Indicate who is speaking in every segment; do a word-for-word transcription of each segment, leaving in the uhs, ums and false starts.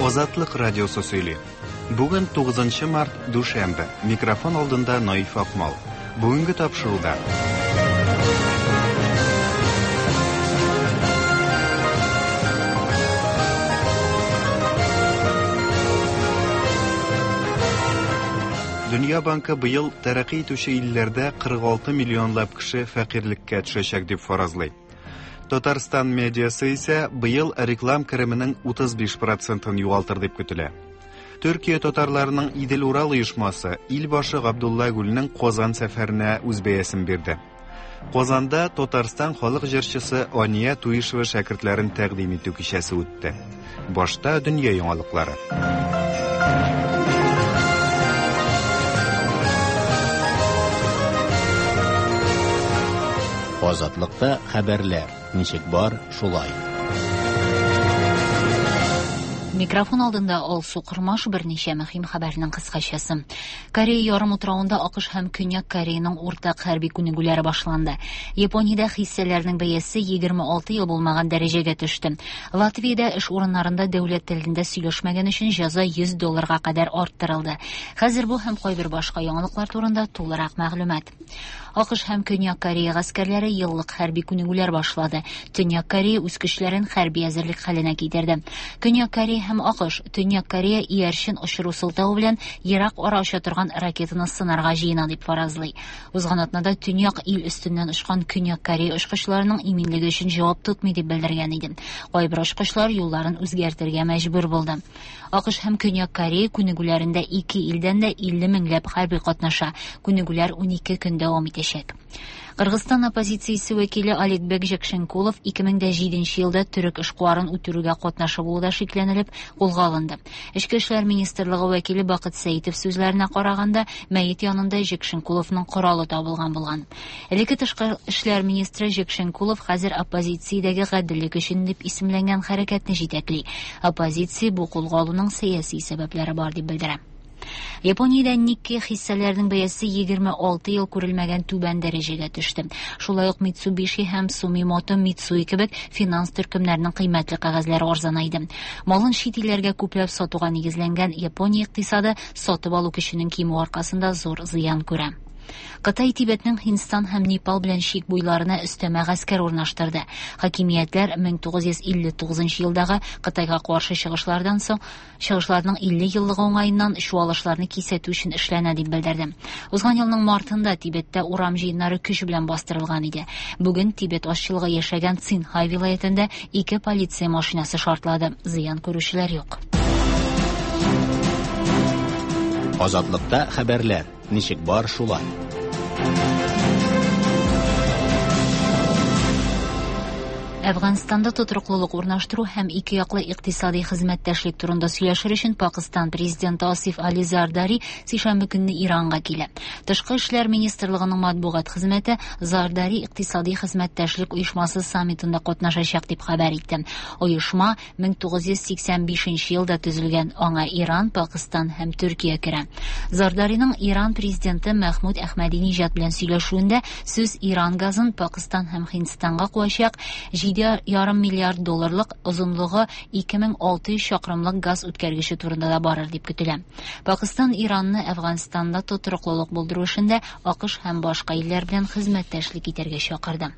Speaker 1: Азатлык радиосы сөйли. Бүген тугызынчы март, дүшәмбе. Микрофон алдында Наиф Акмал. Бүгенге тапшыруда. Дөнья банкы быел тәрәкъи итүче илләрдә кырык алты миллионлап кеше фәкыйрьлеккә төшәчәк дип фаразлый. Татарстан медиасы исә быел реклам кеременең утыз биш процентын югалтыр дип көтелә. Төркия татарларының Идел-Урал оешмасы ил башы Габдулла Гүлнең Казан сәфәренә үз бәясен бирде. Казанда Татарстан халык җырчысы Ания Туишева шәкертләрен тәкъдим итү кичәсе үтте. Башта дөнья яңалыклары.
Speaker 2: Азатлыкта хәбәрләр ничек бар, шулай.
Speaker 3: Микрофон алдында Алсу Кормаш, берничә мөһим хәбәрнең кыскачасы. Корея ярымутравында АКШ һәм Көньяк Кореяның уртак хәрби күнегүләре башланды. Япониядә хиссәләрнең бәясе егерме алты ел булмаган дәрәҗәгә төште. Латвиядә эш урыннарында дәүләт телендә сөйләшмәгән өчен җәза йөз долларга кадәр арттырылды. Хәзер бу һәм кайбер башка яңалыклар турында тулырак мәгълүмат. АКШ һәм Көньяк Корея гаскәрләре еллык хәрби күнегүләр башлады. Төньяк Корея үз көчләрен хәрби әзерлек хәленә китерде. Көньяк Корея һәм АКШ Төньяк Корея иярчен очыру сылтавы белән ерак ара оча торган ракетаны сынарга җыена дип фаразлый. Узган атнада Төньяк ил өстеннән очкан Көньяк Корея очкычларының иминлеге өчен җавап тотмый дип белдергән иде. Кайбер очкычлар юлларын үзгәртергә мәҗбүр булды. АКШ һәм Көньяк Корея күнегүләрендә ике илдән дә илле меңләп хәрби катнаша. Күнегүләр унике көн дәвам итәчәк. Кыргызстан оппозициясе вәкиле Аликбек Жекшенкулов ике мең дә җиденче елда төрек эшкуарын үтерүгә катнашы булуда шикләнелеп кулга алынды. Эчке эшләр министрлыгы вәкиле Бакыт Сәитов сүзләренә караганда, мәет янында Жекшенкуловның коралы табылган булган. Элекке тышкы эшләр министры Жекшенкулов хәзер оппозициядәге гаделлек өчен дип исемләнгән хәрәкәтне җитәкли. Оппозиция бу кулга алуның сәяси сәбәпләре бар дип белдерә. Япониядә Никкей хиссәләренең бәясе егерме алты ел күрелмәгән түбән дәрәҗәгә төште. Шулай ук Mitsubishi һәм Sumitomo Mitsui кебек финанс төркемнәренең кыйммәтле кәгазьләре арзанайды. Малын чит илләргә күпләп сатуга нигезләнгән Япония икътисады сатып алу көченең кимүе аркасында зур зыян күрә. Кытай Тибетнең Һиндстан һәм Непал белән чик буйларына өстәмә гаскәр урнаштырды. Хакимиятләр мең тугыз йөз илле тугызынчы елдагы Кытайга каршы чыгышлардан соң чыгышларның илле еллыгы уңаеннан чуалышларны кисәтү өчен эшләнә дип белдерде. Узган елның мартында Тибеттә урам җыеннары көч белән бастырылган иде. Бүген Тибет азчылыгы яшәгән Цинхай вилаятендә ике полиция машинасы шартлады. Зыян күрүчеләр юк.
Speaker 2: Азатлыкта хәбәрләр ничек бар, шулай.
Speaker 3: Әфганстанда тотрыклылык урнаштыру һәм ике яклы икътисади хезмәттәшлек турында сөйләшер өчен Пакыстан президенты Асиф Али Зардари сишәмбе көнне Иранга килә. Тышкы эшләр министрлыгының матбугат хезмәте Зардари икътисади хезмәттәшлек оешмасы саммитында катнашачак дип хәбәр итте. Оешма мең тугыз йөз сиксән бишенче елда төзелгән, аңа Иран, Пакыстан һәм Төркия керә. Зардариның Иран президенты Мәхмүд Әхмәдиниҗад белән сөйләшүендә сүз Иран газын Пакыстан һәм Һиндстанга куачак җиде ярым миллиард долларлык озынлыгы ике мең алты йөз чакрымлык газ үткәргече турында да барыр дип көтелә. Пакыстан Иранны Әфганстанда тотрыклылык булдыру эшендә АКШ һәм башка илләр белән хезмәттәшлек итәргә чакырды.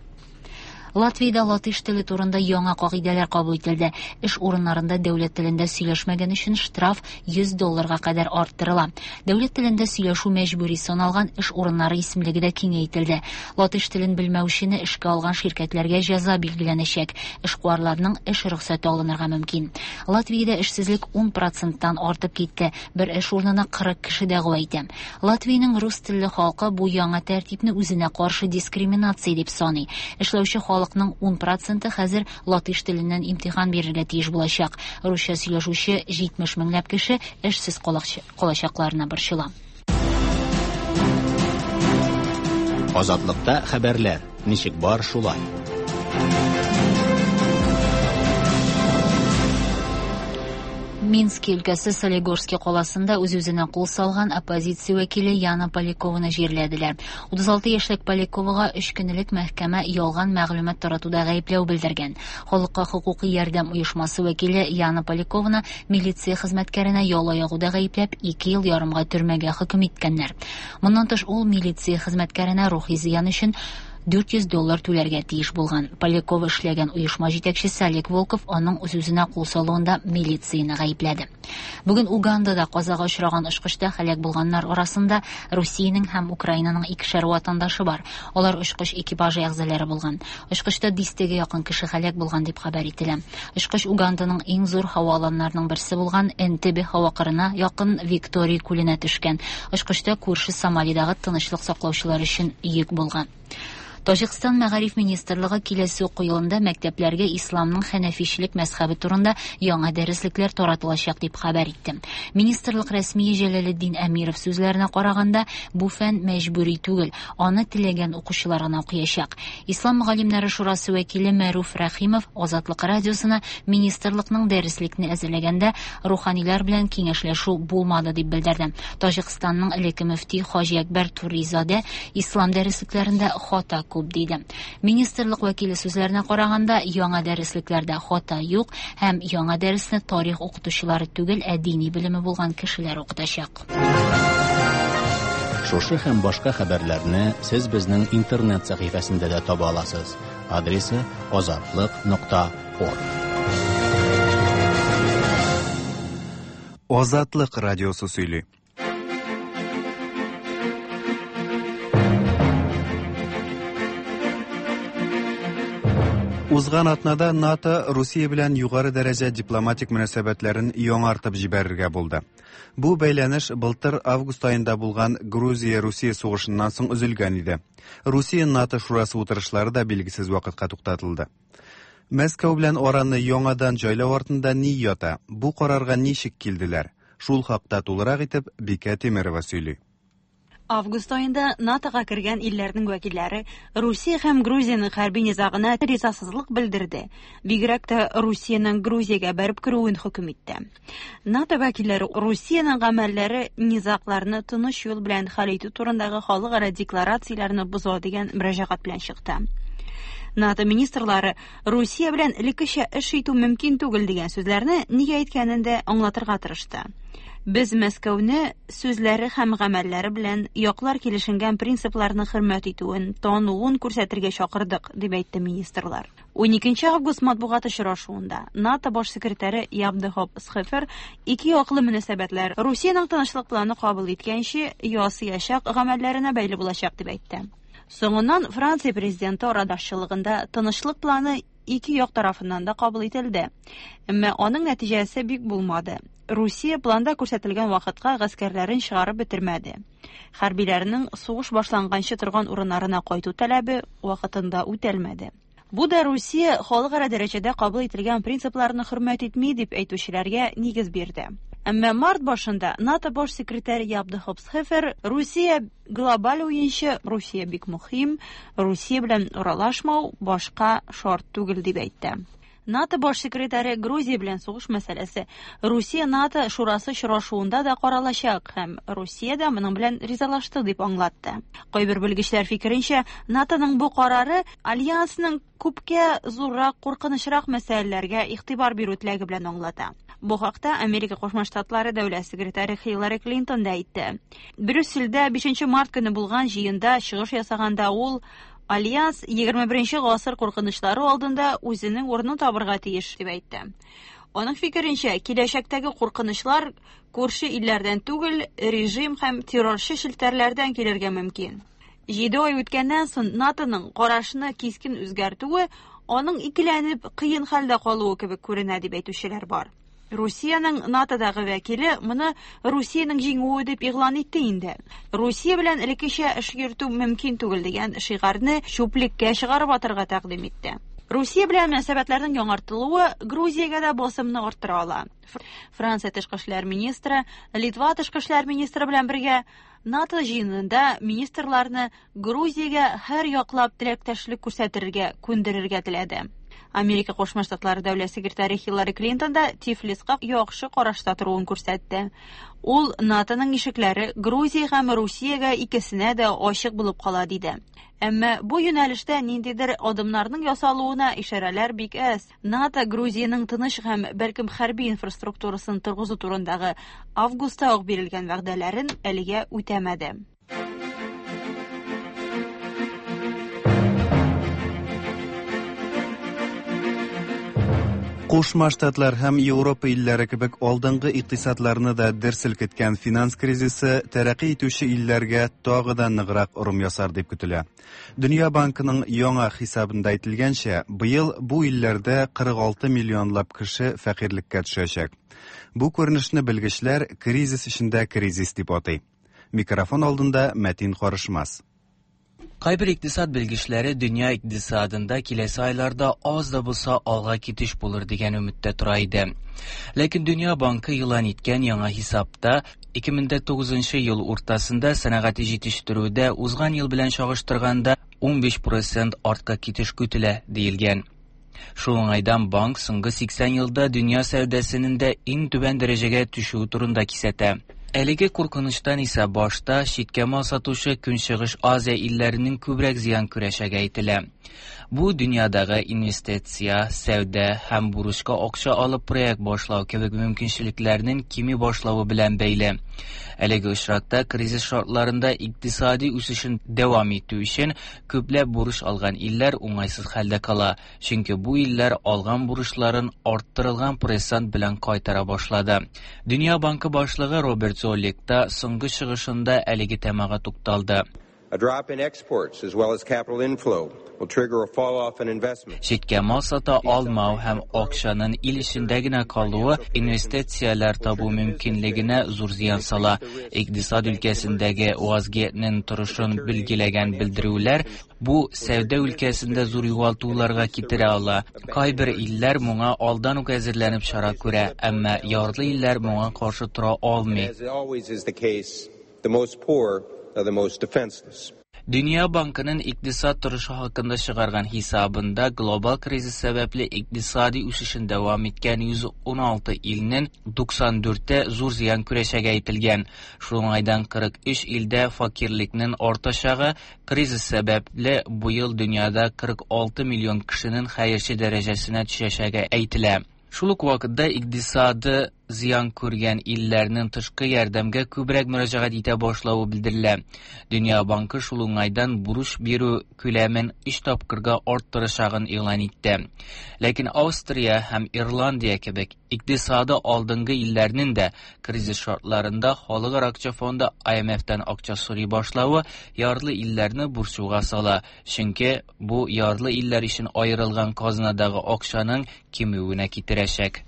Speaker 3: Латвиядә латыш теле турында яңа кагыйдәләр кабул ителде. Эш урыннарында дәүләт телендә сөйләшмәгән өчен штраф йөз долларга кадәр арттырыла. Дәүләт телендә сөйләшү мәҗбүри саналган эш урыннары исемлеге дә киңәйтелде. Латыш телен белмәүчене эшкә алган ширкәтләргә җәза билгеләнәчәк. Эшкуарларның эш рөхсәте алынырга мөмкин. Латвиядә эшсезлек ун проценттан артып китте. Бер эш урынына кырык кеше дәгъва итә. Латвиянең рус телле халкы бу яңа тәртипне үзенә каршы дискриминация дип саный. Эшләүче халык халыкның ун проценты хәзер латыш теленнән имтихан бирергә тиеш булачак. Русча сөйләшүче җитмеш меңләп кеше эшсез калачакларына борчыла.
Speaker 2: Азатлыкта хәбәрләр ничек бар, шулай.
Speaker 3: Мински өлкәсе Солигорский каласында үз-үзенә кул салган оппозиция вәкиле Яна Полякованы җирләделәр. утыз алты яшьлек Поляковага өч көн элек мәхкәмә ялган мәгълүмат таратуда гаепләү белдергән. Халыкка хокукый ярдәм оешмасы вәкиле Яна Полякованы милиция хезмәткәренә яла ягуда гаепләп ике ел ярымга төрмәгә хөкем иткәннәр. Моннан тыш ул милиция хезмәткәренә рухи зыян өчен дүрт йөз доллар түләргә тиеш булган. Полякова эшләгән оешма җитәкчесе Олег Волков аның үз-үзенә кул салуында милицияне гаепләде. Бүген Угандада казага очраган очкычта һәлак булганнар арасында Русиянең һәм Украинаның икешәр ватандашы бар. Алар очкыч экипажы әгъзалары булган. Очкычта дистәгә якын кеше һәлак булган дип хәбәр ителә. Очкыч Уганданың иң зур һава аланнарының берсе булган Энтебе һава кырына якын Виктория күленә төшкән. Очкычта күрше Сомалидагы тынычлык саклаучылар өчен йөк булган. Таҗикстан мәгариф министрлыгы киләсе уку елында мәктәпләргә исламның хәнәфичлек мәзһәбе турында яңа дәреслекләр таратылачак дип хәбәр итте. Министрлык рәсмие Җәләлетдин Әмиров сүзләренә караганда, бу фән мәҗбүри түгел, аны теләгән укучылар гына укыячак. Ислам галимнәре шурасы вәкиле Мәруф Рәхимов Азатлык радиосына министрлыкның дәреслекне әзерләгәндә руханилар белән киңәшләшү булмады дип белдерде. Таҗикстанның элекке мөфти Хаҗи Әкбәр Туризаде ислам дәреслекләрендә хата күп диде. Министрлык вәкиле сүзләренә караганда, яңа дәреслекләрдә хата юк һәм яңа дәресне тарих укытучылары түгел, ә дини белеме булган кешеләр укытачак.
Speaker 2: Шушы һәм башка хәбәрләрне сез безнең интернет сәхифәсендә дә таба аласыз. Адресы азатлык нокта орг.
Speaker 1: Азатлык радиосы сөйли. Узган атнада НАТО Русия белән югары дәрәҗә дипломатик мөнәсәбәтләрен яңартып җибәрергә булды. Бу бәйләнеш былтыр август аенда булган Грузия-Русия сугышыннан соң өзелгән иде. Русия НАТО шурасы утырышлары да билгесез вакытка туктатылды. Мәскәү белән араны яңадан җайлау артында ни ята? Бу карарга ничек килделәр? Шул хакта тулырак итеп Бикә Тимерова сөйли.
Speaker 4: Август айында НАТОга кергән илләрнең вәкилләре Русия һәм Грузиянең хәрби низагына ризасызлык белдерде. Бигрәк тә Русиянең Грузиягә бәреп керүен хөкем итте. НАТО вәкилләре Русиянең гамәлләре низагларны тыныч юл белән хәл итү турындагы халыкара декларацияләрне боза дигән мөрәҗәгать белән чыкты. НАТО министрлары Русия белән элеккечә эш итү мөмкин түгел дигән сүзләрне нигә әйткәнен дә аңлатырга тырышты. Без Мәскәүне сүзләре һәм гамәлләре белән яклар килешенгән принципларны хөрмәт итүен, тануын күрсәтергә чакырдык, дип әйтте министрлар. уникенче август матбугат очрашуында НАТО баш секретаре Яп де Хоп Схефер ике яклы мөнәсәбәтләр Русиянең тынычлык планы кабул иткәнче ясыячак гамәлләренә бәйле булачак дип әйтте. Соңыннан Франция президенты арадашчылыгында тынычлык планы ике як тарафыннан да кабул ителде. Әмма аның нәтиҗәсе бик булмады. Русия планда күрсәтелгән вакытка гаскәрләрен чыгарып бетермәде. Хәрбиләрнең сугыш башланганчы торган урыннарына кайту таләбе вакытында үтәлмәде. Бу да Русия халыкара дәрәҗәдә кабул ителгән принципларны хөрмәт итми дип әйтүчеләргә нигез бирде. Әмма март башында НАТО баш секретаре Яп де Хоп Схефер Русия глобаль уенчы, Русия бик мөһим, Русия белән аралашмау башка шарт түгел дип әйтте. НАТО баш секретаре Грузия белән сугыш мәсьәләсе Русия-НАТО шурасы очрашуында да каралачак һәм Русия дә моның белән ризалашты дип аңлатты. Кайбер белгечләр фикеренчә, НАТОның бу карары альянсның күпкә зуррак, куркынычрак мәсьәләләргә игътибар бирү теләге белән аңлата. Бу хакта Америка Кушма Штатлары дәүләт секретаре Хиллари Клинтон да әйтте. Брюссельдә бишенче март көне булган җыенда чыгыш ясаганда ул Альянс егерме беренче гасыр куркынычлары алдында үзенең урынын табырга тиеш дип әйтте. Аның фикеренчә, киләчәктәге куркынычлар күрше илләрдән түгел, режим һәм террорчы челтәрләрдән килергә мөмкин. Җиде ай үткәннән соң НАТОның карашны кискен үзгәртүе аның икеләнеп кыен хәлдә калуы кебек күренә дип әйтүчеләр бар. Русиянең НАТОдагы вәкиле моны Русиянең җиңүе дип игълан итте инде. Русия белән элеккечә эш йөртү мөмкин түгел дигән шигарны чүплеккә чыгарып атырга тәкъдим итте. Русия белән мөнәсәбәтләрнең яңартылуы Грузиягә дә басымны арттыра ала. Франция тышкы эшләр министры, Литва тышкы эшләр министры белән бергә НАТО җыенында министрларны Грузиягә һәр яклап теләктәшлек күрсәтергә күндерергә теләде. Америка Кушма Штатлары дәүләт секретаре Хиллари Клинтон да Тифлиска яхшы карашта торуын күрсәтте. Ул НАТОның ишекләре Грузия һәм Русиягә икесенә дә ачык булып кала диде. Әмма бу юнәлештә ниндидер адымнарның ясалуына ишарәләр бик әз. НАТО Грузиянең тыныч һәм бәлкем хәрби инфраструктурасын торгызу турындагы августта ук бирелгән вәгъдәләрен әлегә үтәмәде.
Speaker 1: Кушма Штатлар һәм Европа илләре кебек алдынгы икътисадларны да дер селкеткән финанс кризисы тәрәкъи итүче илләргә тагы да ныграк орым ясар дип көтелә. Дөнья банкының яңа хисабында әйтелгәнчә, быел бу илләрдә кырык алты миллионлап кеше фәкыйрьлеккә төшәчәк. Бу күренешне белгечләр кризис эчендә кризис дип атый. Микрофон алдында Мәтин Карышмас.
Speaker 5: Кайбер икътисад белгечләре дөнья икътисадында киләсе айларда аз да булса алга китеш булыр дигән өметтә тора иде. Ләкин Дөнья банкы игълан иткән яңа хисапта ике мең тугызынчы ел уртасында сәнәгать җитештерүдә узган ел белән чагыштырганда унбиш процент артка китеш көтелә диелгән. Шул уңайдан банк соңгы сиксән елда дөнья сәүдәсенең дә иң түбән дәрәҗәгә төшүе турында кисәтә. Әлеге куркынычтан исә башта читкә мал сатучы Көнчыгыш Азия илләренең күбрәк зыян күрәчәге әйтелә. Бу дөньядагы инвестиция, сәүдә һәм бурычка акча алып проект башлау кебек мөмкинчелекләрнең кими башлавы белән бәйле. Әлеге очракта кризис шартларында икътисади үсешен дәвам итү өчен күпләп бурыч алган илләр уңайсыз хәлдә кала, чөнки бу илләр алган бурычларын арттырылган процент белән кайтара башлады. Дөнья банкы башлыгы Роберт Золик та соңгы чыгышында әлеге темага тукталды.
Speaker 6: A drop in exports as well as capital inflow will trigger a fall off in investment.
Speaker 5: Читкә мал сата алмау һәм акчаның ил эчендә генә калуы инвестицияләр табу мөмкинлегенә зур зыян сала. Икътисад өлкәсендәге вазгыятьнең торышын билгеләгән белдерүләр бу сәүдә өлкәсендә зур югалтуларга китерә ала. Кайбер илләр моңа алдан ук әзерләнеп чара күрә, әмма ярлы илләр моңа каршы тора алмый.
Speaker 6: As always is the case, the most poor are the most defenseless.
Speaker 5: Dünya Bankının iqtisad торышы хакында чыгарган хисабында глобал кризис сәбәпле икътисади үсешен дәвам иткән йөз уналты илнең туксан дүрте зур зыян күрәчәге әйтелгән. Шул уңайдан кырык өч илдә факирлекнең артачагы кризис сәбәпле бу ел дөньяда кырык алты миллион кешенең хәерче дәрәҗәсенә төшәчәге әйтелә. Шул ук вакытта икътисады зыян күргән илләрнең тышкы ярдәмгә күбрәк мөрәҗәгать итә башлавы белдерелә. Дөнья банкы шул уңайдан бурыч бирү күләмен өч тапкырга арттырачагын игълан итте. Ләкин Австрия һәм Ирландия кебек икътисады алдынгы илләрнең дә кризис шартларында Халыкара акча фонды I M F-тән акча сорый башлавы ярлы илләрне борчуга сала. Чөнки бу ярлы илләр өчен аерылган казнадагы акчаның кимүенә китерәчәк.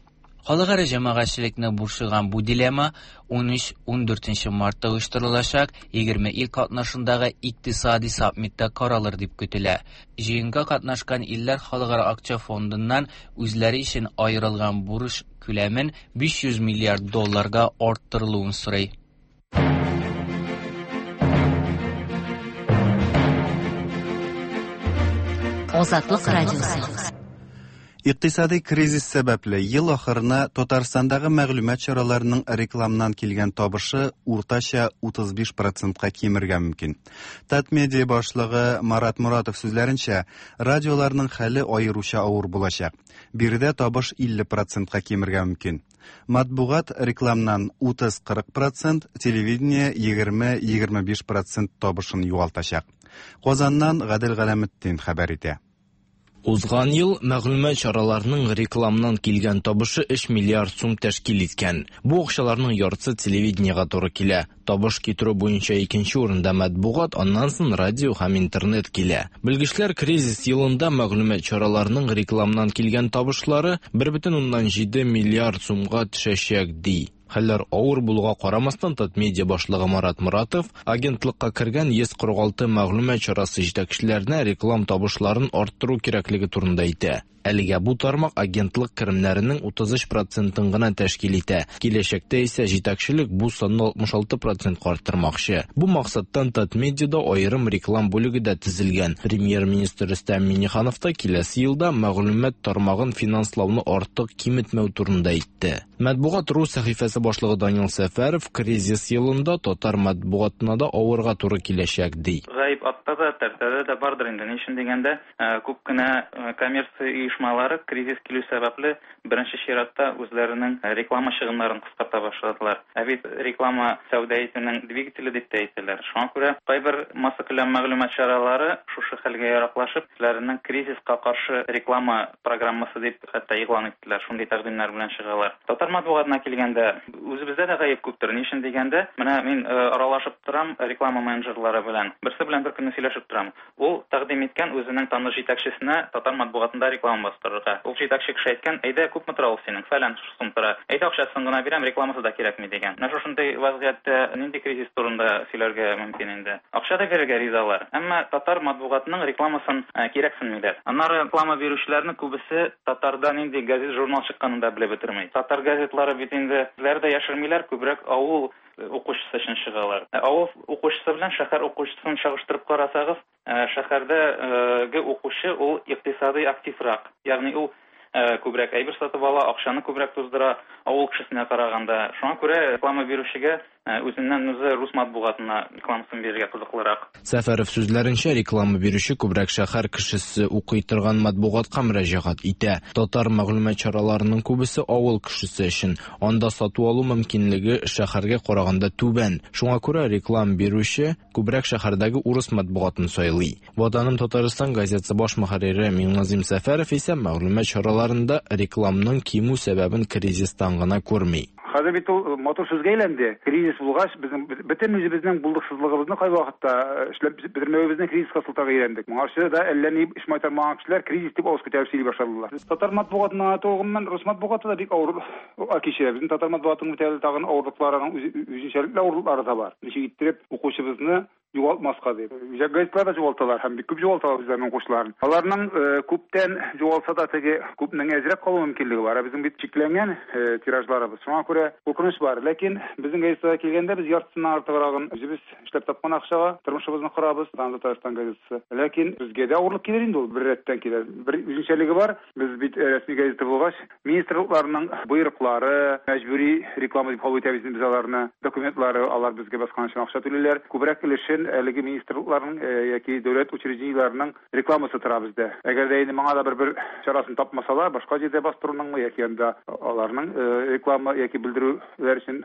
Speaker 5: Халыкара җәмәгатьчелекне борчыган бу дилемма ун өч-ун дүртенче мартта оештырылачак егерме ил катнашындагы икътисади саммитта каралыр дип көтелә. Җыенга катнашкан илләр Халыкара акча фондыннан үзләре өчен аерылган бурыч күләмен биш йөз миллиард долларга арттырылуын сорый.
Speaker 3: Азатлык радиосы.
Speaker 1: Икътисади кризис сәбәпле ел ахырына Татарстандагы мәгълүмат чараларының рекламнан килгән табышы уртача утыз биш процентка кимергә мөмкин. Татмедиа башлыгы Марат Муратов сүзләренчә, радиоларның хәле аеруча авыр булачак. Биредә табыш илле процентка кимергә мөмкин. Матбугат рекламнан утыз-кырык процент, телевидение егерме-егерме биш процент табышын югалтачак. Казаннан Гадел Галәметдин хәбәр итә.
Speaker 7: Узган ел мәгълүмат чараларының рекламнан килгән табышы өч миллиард сум тәшкил иткән. Бу акчаларның яртысы телевидениегә туры килә. Табыш китерү буенча икенче урында матбугат, аннан соң радио һәм интернет килә. Белгечләр кризис елында мәгълүмат чараларының рекламнан килгән табышлары бер бөтен уннан җиде миллиард сумга төшәчәк ди. Хәлләр авыр булуга карамастан, Татмедиа башлыгы Марат Муратов агентлыкка кергән йөз кырык алты мәгълүмат чарасы җитәкчеләренә реклам табышларын арттыру кирәклеге турында әйтә. Әлегә бу тармак агентлык керемнәренең утыз өч процентын гына тәшкил итә. Киләчәктә исә җитәкчелек бу санны алтмыш алты процентка арттырмакчы. Бу максаттан Татмедиада аерым реклам бүлеге дә төзелгән. Премьер-министр Рөстәм Миңнеханов та киләсе елда мәгълүмат тармагын финанслауны артык киметмәү турында әйтте. Матбугат рус сәхифәсе башлыгы Данил Сәфәров кризис елында татар матбугатына да авырга туры киләчәк ди.
Speaker 8: Гаеп атта да, тәртәдә дә бардыр инде. Ни өчен дигәндә, күп кенә коммерция оешмалары кризис килү сәбәпле беренче чиратта үзләренең реклама чыгымнарын кыскарта башладылар. Ә бит реклама сәүдә итүнең двигателе дип тә әйтәләр. Шуңа күрә кайбер массакүләм мәгълүмат чаралары шушы хәлгә яраклашып, үзләренең кризиска каршы реклама программасы дип хәтта игълан иттеләр. Шундый тәкъдимнәр белән чыгалар. Татар матбугатына килгәндә, үзебездә дә гаеп күптер. Ни өчен дигәндә, менә мин аралашып торам реклама менеджерлары белән. Берсе белән бер көнне сөйләшеп торам. Ул тәкъдим иткән үзенең таныш җитәкчесенә татар матбугатында реклама бастырырга. Ул җитәкче кеше әйткән, әйдә күпме тора ул синең? Фәлән сум тора. Әйдә акчасын гына бирәм, рекламасы да кирәкми дигән. Менә шушындый вазгыятьтә нинди кризис турында сөйләргә мөмкин инде? Акча да бирергә ризалар. Әмма татар матбугатының рекламасын кирәксенмиләр. Аннары реклама бирүчеләрнең күбесе татарда нинди газет, журнал чыкканын да белеп бетерми. Татар газетлары бит инде үзләре дә яшермиләр, күбрәк авыл укучысы өчен чыгалар. Авыл укучысы белән шәһәр укучысын чагыштырып карасагыз, шәһәрдәге укучы ул икътисадый активрак, ягъни ул күбрәк әйбер сатып ала, акчаны күбрәк туздыра авыл кешесенә караганда. Шуңа күрә реклама бирүчегә үзеннән үзе рус матбугатына рекламасын бирергә кызыклырак.
Speaker 7: Сәфәров сүзләренчә, реклама бирүче күбрәк шәһәр кешесе укый торган матбугатка мөрәҗәгать итә. Татар мәгълүмат чараларының күбесе авыл кешесе өчен. Анда сату алу мөмкинлеге шәһәргә караганда түбән. Шуңа күрә реклама бирүче күбрәк шәһәрдәге урыс матбугатын сайлый. Ватаным Татарстан газетасы баш мөхәррире Миңназим Сәфәров исә мәгълүмат чараларында рекламның кимү сәбәбен кризистан гына күрми.
Speaker 9: Хәзер бит ул матур сүзгә әйләнде. Кризис булгач, безнең бөтен үзебезнең булдыксызлыгыбызны кай вакытта эшләп бетермәвебезне кризиска сылтарга әйләндек. Моңарчы да әллә ни эш майтармаган кешеләр кризис дип авыз күтәреп сөйли башладылар. Татар матбугатына гомумән рус матбугаты да бик авыр кичерә. Безнең татар матбугатының бит әле тагын авырлыкларының үзенчәлекле авырлыклары да бар. Ничек иттереп укучыбызны югалтмаска дип. Үзәк газетлар да югалталар һәм бик күп югалталар үзләренең укучыларын. Аларның күптән югалса да теге күпнең әзрәк калу мөмкинлеге бар. Безнең бит чикләнгән тиражларыбыз. Шуңа күрә куркыныч бар. Ләкин безнең газетага килгәндә без яртысыннан артыграгын үзебез эшләп тапкан акчага тормышыбызны корабыз. Татарстан газетасы. Ләкин безгә дә авырлык килер инде ул, бер рәттән килер. Бер үзенчәлеге бар. Без бит рәсми газета булгач, министрлыкларның боерыклары, мәҗбүри реклама дип кабул итәбез без аларны, документлары алар безгә баскан өчен акча түлиләр. Күбрәк өлешен әлеге министрлыкларның яки дәүләт учреждениеләренең рекламасы тора бездә. Әгәр дә инде моңа да бер-бер чарасын тапмасалар, башка җирдә бастыруның яки анда аларның реклама яки белдерүләр өчен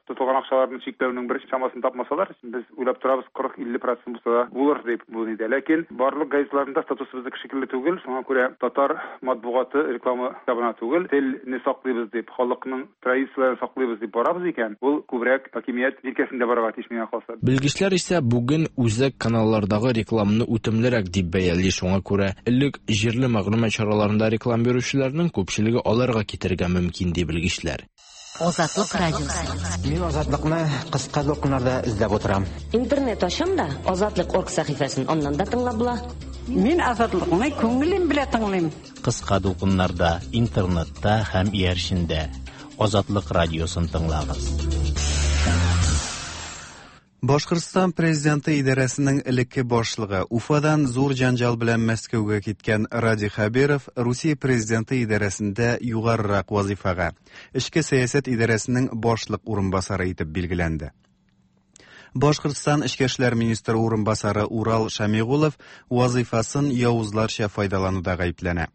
Speaker 9: тотылган акчаларны чикләүнең бер чамасын тапмасалар, без уйлап торабыз кырык илле процент булса да булыр дип бу иде. Ләкин барлык газетларында статусыбызны шикелле түгел, шуңа күрә татар матбугаты реклама табына түгел, телне саклыйбыз дип, халыкның традицияләрен саклыйбыз дип барабыз икән, ул күбрәк хакимият җилкәсендә барырга тиеш миңа калса.
Speaker 7: Белгечләр исә бүген үзәк каналлардагы рекламаны үтемлерәк дип бәяли. Шуңа күрә элек җирле мәгълүмат чараларында реклама бирүчеләрнең күпчелеге аларга китергә мөмкин ди белгечләр.
Speaker 3: Азатлык радиосы.
Speaker 10: Мин Азатлыкны кыска дулкыннарда эзләп утырам.
Speaker 11: Интернет ачам да Азатлык орг сәхифәсен аннан да тыңлап була.
Speaker 12: Мин Азатлыкны күңелем белән тыңлыйм.
Speaker 2: Кыска дулкыннарда, интернетта һәм иярчендә Азатлык радиосын тыңлагыз.
Speaker 1: Башкортстан президенты идарәсенең элекке башлыгы Уфадан зур җанҗал белән Мәскәүгә киткән Радий Хәбиров Русия президенты идарәсендә югарырак вазифага, эчке сәясәт идарәсенең башлык урынбасары итеп билгеләнде. Башкортстан эчке эшләр министры урынбасары Урал Шамигулов вазифасын явызларча файдалануда гаепләнә.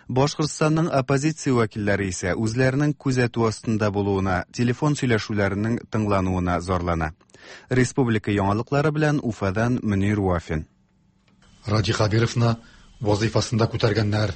Speaker 1: Башкортстанның оппозиция вәкилләре исә үзләренең күзәтү астында булуына, телефон сөйләшүләренең тыңлануына зарлана. Республика яңалыклары белән Уфадан Мөнир Вафин.
Speaker 13: Радий Хәбировны вазифасында күтәргәннәр.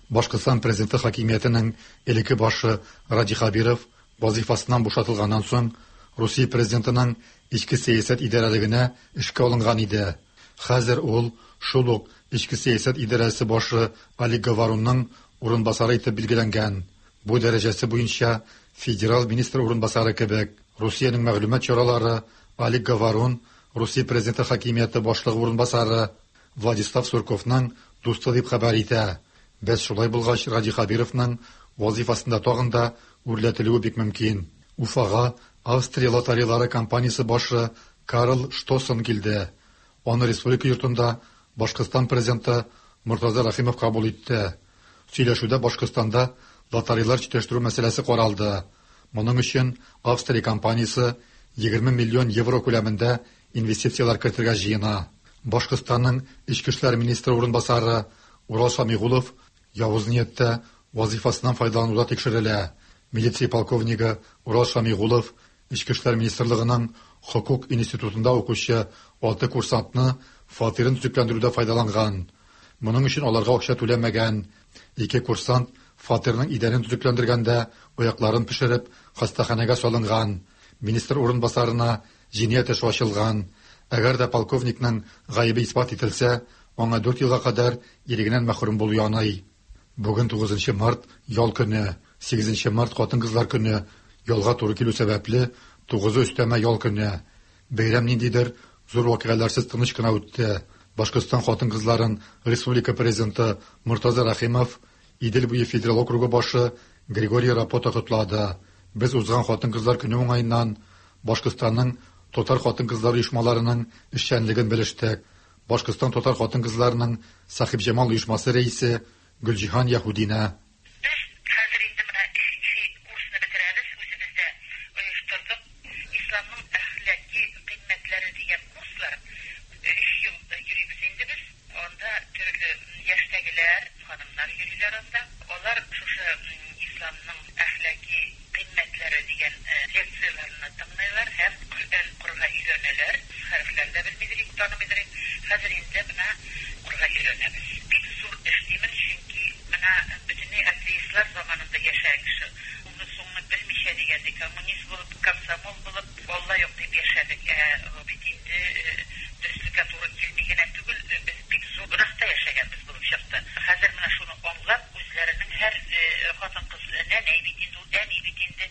Speaker 13: Башкортстан президенты хакимиятенең элекке башы Радий Хәбиров вазифасыннан бушатылганнан соң Русия президентының эчке сәясәт идарәлегенә эшкә алынган иде. Хәзер ул шул ук эчке сәясәт идарәсе башы Олег Говорунның урынбасары итеп билгеләнгән. Бу дәрәҗәсе буенча федераль министр урынбасары кебек. Русиянең мәгълүмат чаралары Олег Говорун Русия президенты хакимияте башлыгы урынбасары Владислав Сурковның дусты дип хәбәр итә. Бәс шулай булгач, Радий Хәбировның вазифасында тагын да үрләтелүе бик мөмкин. Уфага Австрия лотареялары компаниясе башы Карл Штосон килде. Аны республика йортында Башкортстан президенты Мортаза Рәхимов кабул итте. Сөйләшүдә Башкортстанда лотареялар җитештерү мәсьәләсе каралды. Моның өчен Австрия компаниясе егерме миллион евро күләмендә инвестицияләр кертергә җыена. Башкортстанның Эчке эшләр министры урынбасары Урал Шамигулов явыз нияттә вазифасыннан файдалануда тикшерелә. Милиция полковнигы Урал Шамигулов Эчке эшләр министрлыгының хокук институтында укучы алты курсантны фатирын төзекләндерүдә файдаланган. Моның өчен аларга акча түләмәгән. Ике курсант фатирның идәнен төзекләндергәндә аякларын пешереп хастаханәгә салынган. Министр урынбасарына җинаять эше ачылган. Әгәр дә полковникның гаебе исбат ителсә, аңа дүрт елга кадәр ирегеннән мәхрүм булу яный. Бүген тугызынчы март ял көне, сигезенче март хатын-кызлар көне ялга туры килү сәбәпле тугызы өстәмә ял көне. Бәйрәм ниндидер зур вакыйгаларсыз тыныч кына үтте. Башкортстан хатын-кызларын республика президенты Мортаза Рәхимов, Идел буе федерал округы башы Григорий Рапота котлады. Без узган хатын-кызлар көне уңаеннан Башкортстанның татар хатын-кызлар оешмаларының эшчәнлеген белештек. Башкортстан татар хатын-кызларының Сахибҗамал оешмасы рәисе Гөлҗиһан Яһудина.
Speaker 14: Без хәзер инде менә өченче курсны бетерәбез, үзебездә оештырдык. Исламның әхлаки кыйммәтләре дигән курслар. Өч ел йөрибез инде без. Анда төрле яшьтәгеләр, ханымнар йөриләр анда. Алар шушы исламның әхлаки кыйммәтләре дигән лекцияләрне тыңлыйлар һәм Коръән укырга өйрәнәләр. Хәрефләрне дә белмидер, танымыйдыр. Хәзер инде менә укырга өйрәнәбез. Бик зур эш димен, чөнки менә бөтенләй атеистлар заманында яшәгән кеше. Уны соңны белмичә дигәндә, коммунист булып, комсомол булып, Алла юк дип яшәдек. Ә бит инде дөреслеккә туры килми генә түгел, без бик зур гөнаһта яшәгәнбез булып чыкты. Хәзер менә шуны аңлап, үзләренең һәр хатын-кыз нәнәй бит инде, ул әни бит инде,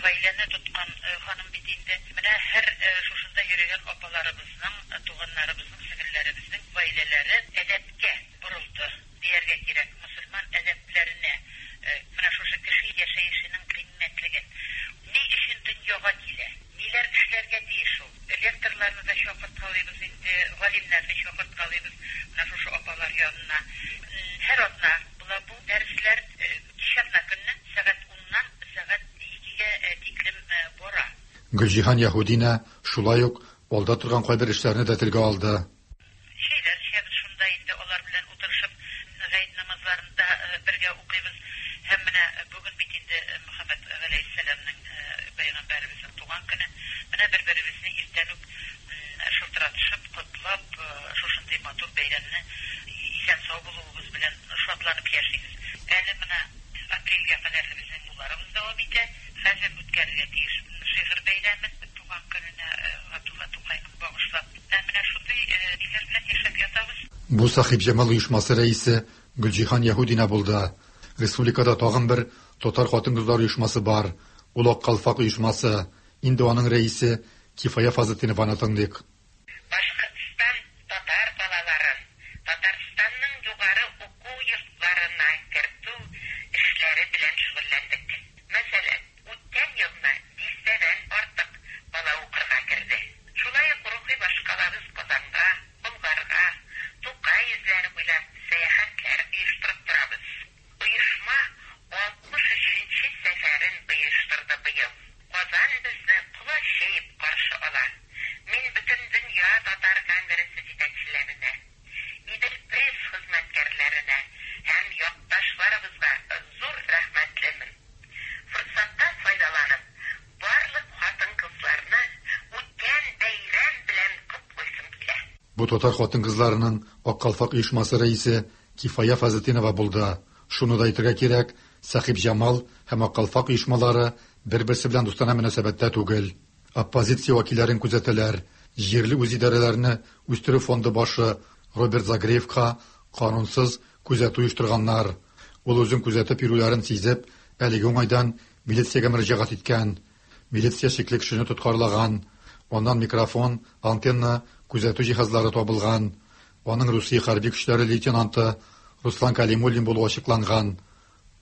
Speaker 14: гаиләне тоткан ханым бит инде. Менә һәр шушында йөрегән апаларыбызның, туганнарыбызның, сеңелләребезнең гаиләләре әдәпкә борылды дияргә кирәк. Мөселман әдәпләренә, менә шушы кеше яшәешенең кыйммәтлеген, ни өчен дөньяга килә, ниләр эшләргә тиеш ул. Лекторларны да чакырткалыйбыз инде, галимнәрне чакырткалыйбыз менә шушы апалар янына. Һәр атна була бу дәресләр, кич атна көнне сәгать уннан сәгать икегә тиклем бара.
Speaker 13: Гөлҗиһан Яһудина шулай ук алда торган кайбер эшләрне дә телгә алды.
Speaker 14: Шәйләр эчәбез шунда инде, алар белән утырышып гает намазларында бергә укыйбыз. Һәм менә бүген бит инде Мөхәммәд галәйһиссәламнең пәйгамбәребезнең туган көне. Менә бер-беребезне иртән үк шылтыратышып, котлап, шушындый матур бәйрәмне исән-сау булуыбыз белән шатланып яшибез. Әле менә апрельгә кадәр безнең буларыбыз дәвам итә. Хәзер үткәрергә тиеш шигырь бәйрәмен туган көненә Габдулла Тукайның багышлап. Менә шундый ниләр белән яшәп ятабыз.
Speaker 13: Бу Сахибҗамал оешмасы рәисе Гөлҗиһан Яһудина булды. Республикада тагын бер татар хатын-кызлар оешмасы бар. Ул Ак калфак оешмасы. Инде аның рәисе Кифая Фазлетдинованы тыңлыйк.
Speaker 14: Башкортстан татар балаларын Татарстанның югары уку йортларына кертү эшләре белән шөгыльләндек. Мәсәлән, үткән елны дистәдән артык бала укырга керде. Шулай ук рухи башкалабыз Казанга, Болгарга, Тукай эзләре буйлап сәяхәтләр оештырып торабыз. Оешма алтмыш өченче сәфәрен оештырды быел. Казан безне колач җәеп каршы ала. Мин бөтен дөнья татар конгрессы җитәкчеләренә, Идел пресс хезмәткәрләренә һәм якташларыбызга зур рәхмәтлемен. Форсаттан файдаланып, барлык хатын-кызларны үткән бәйрәм белән котлыйсым килә.
Speaker 13: Бу татар хатын-кызларының Ак калфак оешмасы рәисе Кифая Фазлетдинова булды. Шуны да әйтергә кирәк, Сахибҗамал һәм Ак калфак оешмалары бер-берсе белән дустанә мөнәсәбәттә түгел. Оппозиция вәкилләрен күзәтәләр. Җирле үзидарәләрне үстерү фонды башы Роберт Загреевка канунсыз күзәтү оештырганнар. Ул үзен күзәтеп йөрүләрен сизеп, әлеге уңайдан милициягә мөрәҗәгать иткән. Милиция шикле кешене тоткарлаган. Аннан микрофон, антенна, күзәтү җиһазлары табылган. Аның Русия хәрби көчләре лейтенанты Руслан Калимуллин булуы ачыкланган.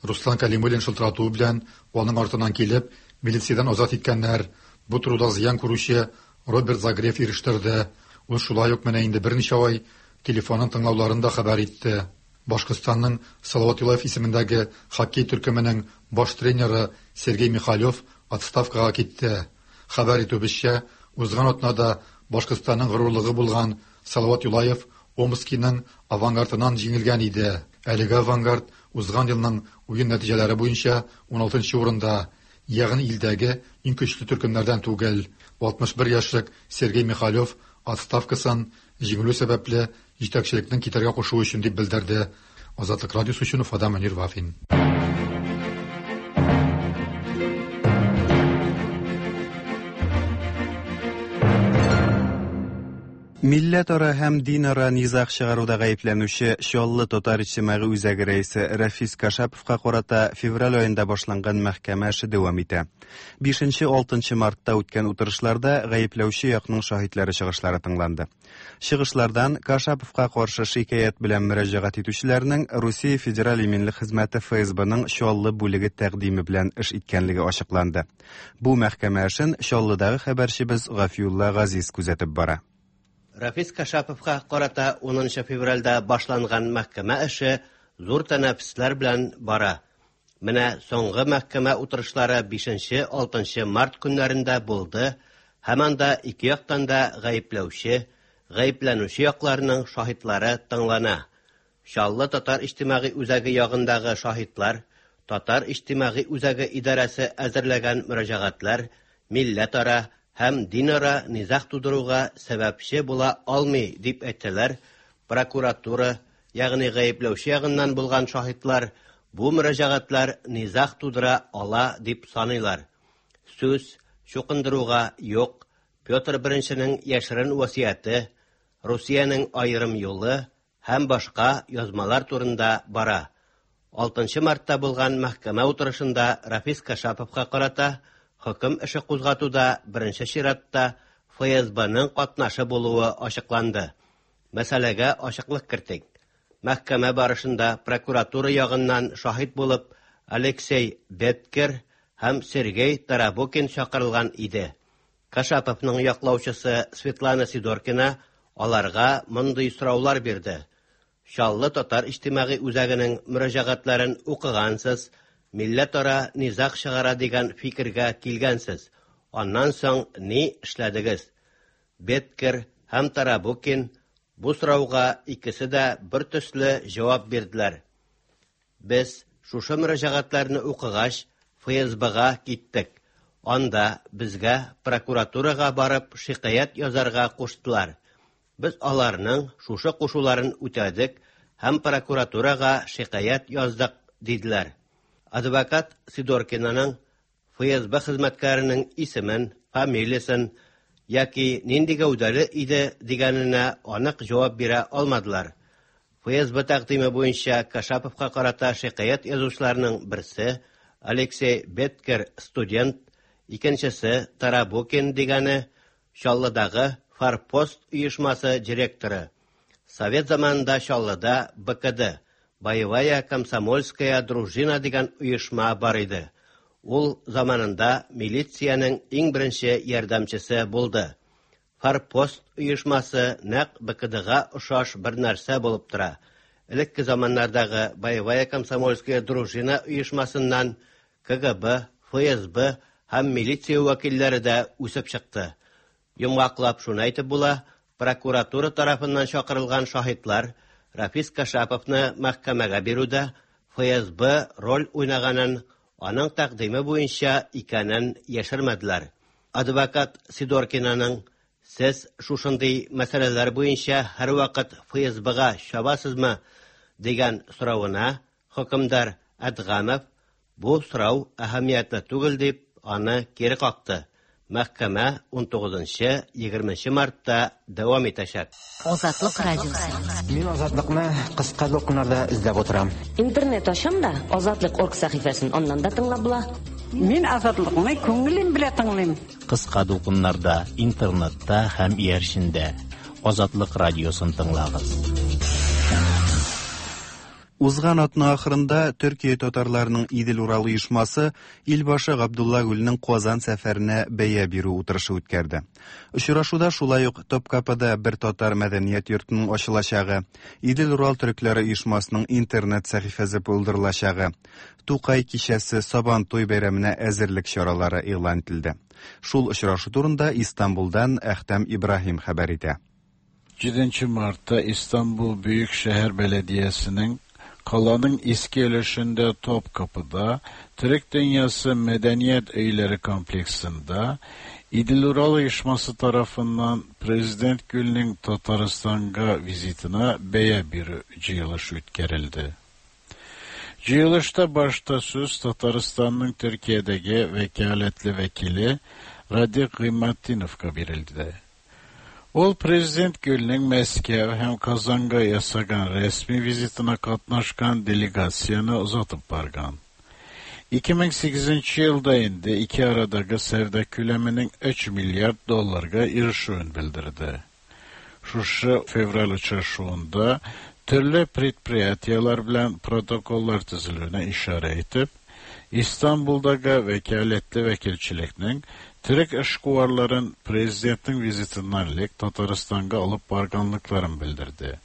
Speaker 13: Руслан Калимуллин шылтыратуы белән аның артыннан килеп, милициядән азат иткәннәр. Бу турыда зыян күрүче Роберт Загрев ирештерде. Ул шулай ук менә инде берничә ай телефонын тыңлауларын да хәбәр итте. Башкортстанның Салават Юлаев исемендәге хоккей төркеменең баш тренеры Сергей Михалев отставкага китте. Хәбәр итүебезчә, узган атнада Башкортстанның горурлыгы булган Салават Юлаев Омскиның Авангардынан җиңелгән иде. Әлеге Авангард узган елның уен нәтиҗәләре буенча уналтынчы урында, ягъни илдәге иң көчле төркемнәрдән түгел. алтмыш бер яшьлек Сергей Михалев отставкасын җиңелү сәбәпле җитәкчелекнең китәргә кушуы өчен дип белдерде. Азатлык радиосы өчен Уфадан Мөнир Вафин.
Speaker 1: Милләтара һәм динара низаг чыгаруда гаепләнүче Чаллы татар иҗтимагый үзәге рәисе Рафис Кашаповка карата февраль аенда башланган мәхкәмә эше дәвам итә. бишенче-алтынчы мартта үткән утырышларда гаепләүче якның шаһитлары чыгышлары тыңланды. Чыгышлардан Кашаповка каршы шикаять белән мөрәҗәгать итүчеләрнең Русия Федераль иминлек хезмәте Эф Эс Бның Чаллы бүлеге тәкъдиме белән эш иткәнлеге ачыкланды. Бу мәхкәмә эшен Чаллыдагы хәбәрчебез Гафиулла Газиз күзәтеп бара.
Speaker 15: Рафис Кашаповка карата унынчы февральдә башланган мәхкәмә эше зур тәнәфесләр белән бара. Менә соңгы мәхкәмә утырышлары бишенче-алтынчы март көннәрендә булды һәм анда ике яктан да гаепләүче, гаепләнүче якларның шаһитлары тыңлана. Чаллы татар иҗтимагый үзәге ягындагы шаһитлар, татар иҗтимагый үзәге идарәсе әзерләгән мөрәҗәгатьләр милләтара һәм динара низаг тудыруга сәбәпче була алмый дип әйтәләр. Прокуратура, ягъни гаепләүче ягыннан булган шаһитлар бу мөрәҗәгатьләр низаг тудыра ала дип саныйлар. Сүз чукындыруга юк, Петр Беренченең яшерен васыяте, Русиянең аерым юлы һәм башка язмалар турында бара. Алтынчы мартта булган мәхкәмә утырышында Рафис Кашаповка карата хөкем эше кузгатуда беренче чиратта Эф Эс Бның катнашы булуы ачыкланды. Мәсьәләгә ачыклык кертик. Мәхкәмә барышында прокуратура ягыннан шаһит булып Алексей Беткер һәм Сергей Тарабукин чакырылган иде. Кашаповның яклаучысы Светлана Сидоркина аларга мондый сораулар бирде. Чаллы татар иҗтимагый үзәгенең мөрәҗәгатьләрен укыгансыз, милләтара низаг чыгара дигән фикергә килгәнсез. Аннан соң ни эшләдегез? Беткер һәм Тарабукин бу сорауга икесе дә бер төсле җавап бирделәр. Без шушы мөрәҗәгатьләрне укыгач, Эф Эс Бга киттек. Анда безгә прокуратурага барып шикаять язарга куштылар. Без аларның шушы кушуларын үтәдек һәм прокуратурага шикаять яздык, диделәр. Адвокат Сидоркинаның Эф Эс Б хезмәткәренең исемен, фамилиясен яки нинди гәүдәле иде дигәненә анык җавап бирә алмадылар. Эф Эс Б тәкъдиме буенча Кашаповка карата шикаять язучыларның берсе Алексей Беткер студент, икенчесе Тарабукин дигәне Чаллыдагы Форпост оешмасы директоры. Совет заманында Чаллыда Бэ Ка Дэ, Боевая комсомольская дружина дигән оешма бар иде. Ул заманында милициянең иң беренче ярдәмчесе булды. Форпост оешмасы нәкъ Бэ Ка Дэга охшаш бер нәрсә булып тора. Элекке заманнардагы Боевая комсомольская дружина оешмасыннан Ка Гэ Бэ, Эф Эс Бэ һәм милиция вәкилләре дә үсеп чыкты. Йомгаклап шуны әйтеп була, прокуратура тарафыннан чакырылган шаһитлар Рафис Кашаповны мәхкәмәгә бирүдә Эф Эс Бэ роль уйнаганын, аның тәкъдиме буенча икәнен яшермәделәр. Адвокат Сидоркинаның «Сез шушындый мәсьәләләр буенча һәрвакыт Эф Эс Бга чабасызмы?» дигән соравына хөкемдар Әдгамов бу сорау әһәмиятле түгел дип аны кире какты. Мәхкәмә ун тугызынчы, егерменче мартта дәвам итәчәк.
Speaker 3: Азатлык радиосы.
Speaker 10: Мин Азатлыкны кыска дулкыннарда эзләп утырам.
Speaker 11: Интернет ачам да Азатлык орг сәхифәсен аннан да тыңлап була.
Speaker 12: Мин Азатлыкны күңелем белән тыңлыйм.
Speaker 2: Кыска дулкыннарда, интернетта һәм иярчендә Азатлык радиосын тыңлагыз.
Speaker 1: Узган атна ахырында Төркия татарларының Идел-Урал оешмасы Илбашы Габдулла Гүлнең Казан сәфәренә бәя бирү утырышы үткәрде. Очрашуда шулай ук Топкапыда бер татар мәдәният йортының ачылачагы, Идел-Урал төрекләре оешмасының интернет сәхифәсе булдырылачагы, Тукай кичәсе Сабантуй бәйрәменә әзерлек чаралары игълан ителде. Шул очрашу турында Истанбулдан Әхтәм Ибраһим хәбәр итә.
Speaker 16: җиденче мартта Истанбул Büyükşehir Belediyesi'nin Kalanın eski өлешендә Topkapıda, Türk Dünyası Medeniyet Öyleri kompleksinde İdil-Ural оешмасы tarafından Prezident Gül'ün Tataristan'a vizitine бәя бирү җыелышы үткәрелде. Җыелышта башта сүз Татарстанның Türkiye'deki vekaletli vekili Radik Gıymatdinovga berildi. Ул Prezident Gül'ün Мәскәү һәм Казанга ясаган resmi vizitine katnaşkan delegasyonu uzatıp bargan. iki ming sekizinче елда инде ике арадагы сәүдә күләменең өч миллиард долларга ирешүен белдерде. Шушы февраль очрашуында төрле предприятиеләр белән протоколлар төзелүенә ишарә итеп, Истанбулдагы вәкаләтле вәкилчелекнең Төрек эшкуарларын президентның визитыннан элек Татарстанга алып барганлыкларын белдерде.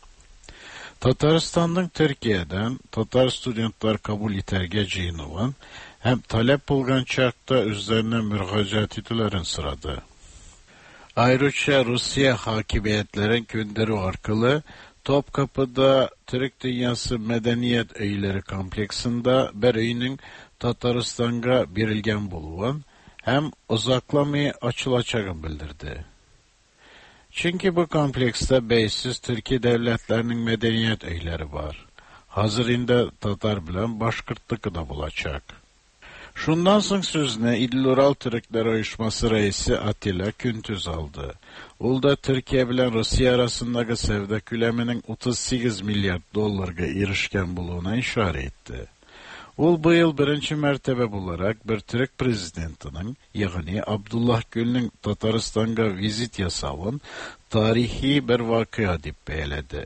Speaker 16: Татарстанның Төркиядән татар студентлар кабул итәргә җыенуын һәм таләп булган чакта үзләренә мөрәҗәгать итүләрен сорады. Ayrıca Rusya hakimiyetlerin gönderi arkalı Topkapıda Türk Dünyası Medeniyet Öyleri kompleksinde bir öyünün Tataristan'a berilgen buluğun hem uzaklamay açılacağını bildirdi. Çünkü bu komplekste beysiz Türkiye devletlerinin medeniyet öyleri var. Hazır indi Tatar bilen Başkırtlıkı da bulacak. Şundan soň sözüne İdil-Ural Türkler Uyuşması reisi Atilla Küntüz aldı. Ул да Türkiye bilen Rusya arasındaki sevda küleminin otuz sekiz milyar dollarga erişken buluğuna işaret etti. Ул bu yıl birinci mertebe bularak bir Türk prezidentinin, yani Abdullah Gül'ün Tataristan'a vizit yasavın tarihi bir vakıa dip beyledi.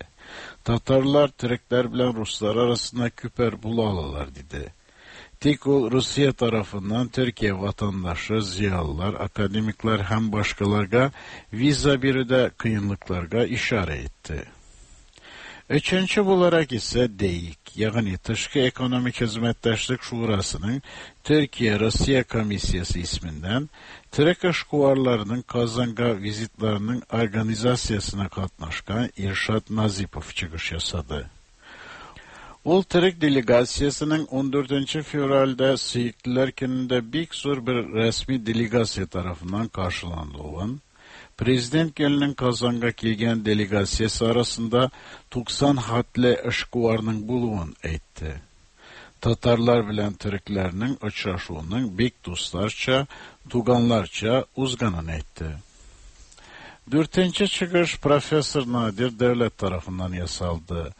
Speaker 16: Tatarlar Türkler bilen Ruslar arasında küper bulalılar dedi. Tik ol Rusya tarafından Türkiye vatandaşı, ziyalılar, akademikler hem başkalarga viza biri de kıyınlıklarga işaret etti. Üçüncü olarak ise DEİK, yani Tışkı Ekonomik Hizmetdaşlık Şurası'nın Türkiye-Rusya Komisyası isminden Türk işkuvarlarının Kazan'a vizitlerinin organizasyasına katnaşkan İrşad Nazipov çıkış yasadı. Ул Türk delegasyasının on dördüncü fevralde Seyitliler gününde büyük zor bir resmi delegasya tarafından karşılandığın, Prezident Gül'ün Kazan'a kelgen delegasyası arasında doksan hatli işkuvarның buluğun etti. Tatarlar bilen Türklerinin uçraşuğunun büyük dostlarça, tuganlarça uzganın etti. Dörtüncü çıkış Profesör Nadir Devlet tarafından yasaldı.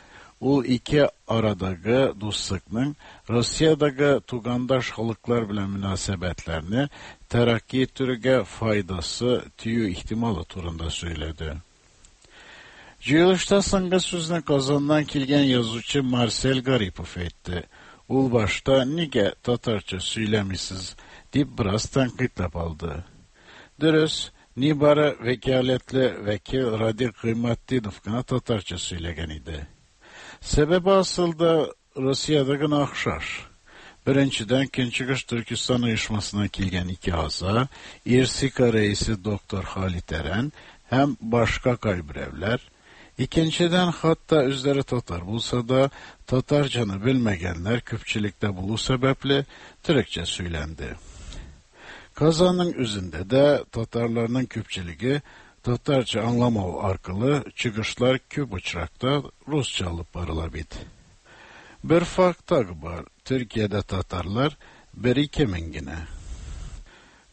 Speaker 16: Ул ике арадагы дуслыкның Россиядагы тугандаш халыклар белән мөнәсәбәтләрне тәрәкки иттерүгә файдасы тию ихтималы турында сөйләде. Җыелышта соңгы сүзне Казаннан килгән язучы Марсель Гарипов әйтте. Ул башта нигә татарча сөйләмисез дип бераз тәнкыйтьләп алды. Дөрес, нибары вәкаләтле вәкил Радик Гыйматдинов кына татарча сөйләгән иде. Sebebi asıl Rusya'da gına axşar. Birinciden Künçügüş Türkistan uyuşmasına kelgen iki aza, İrsika reisi Doktor Halit Eren, hem başka kaybirevler. İkinciden hatta üzleri Tatar bulsa da Tatarcanı bilmegenler küpçilikte bulu sebeple Türkçe söylendi. Kazanın üzerinde de Tatarlarının küpçiliği Tatarca anlamav arkalı çıkışlar küp uçrakta Rusça alıp barılabit. Bir fark tak var. Türkiye'de Tatarlar bir iki mingine.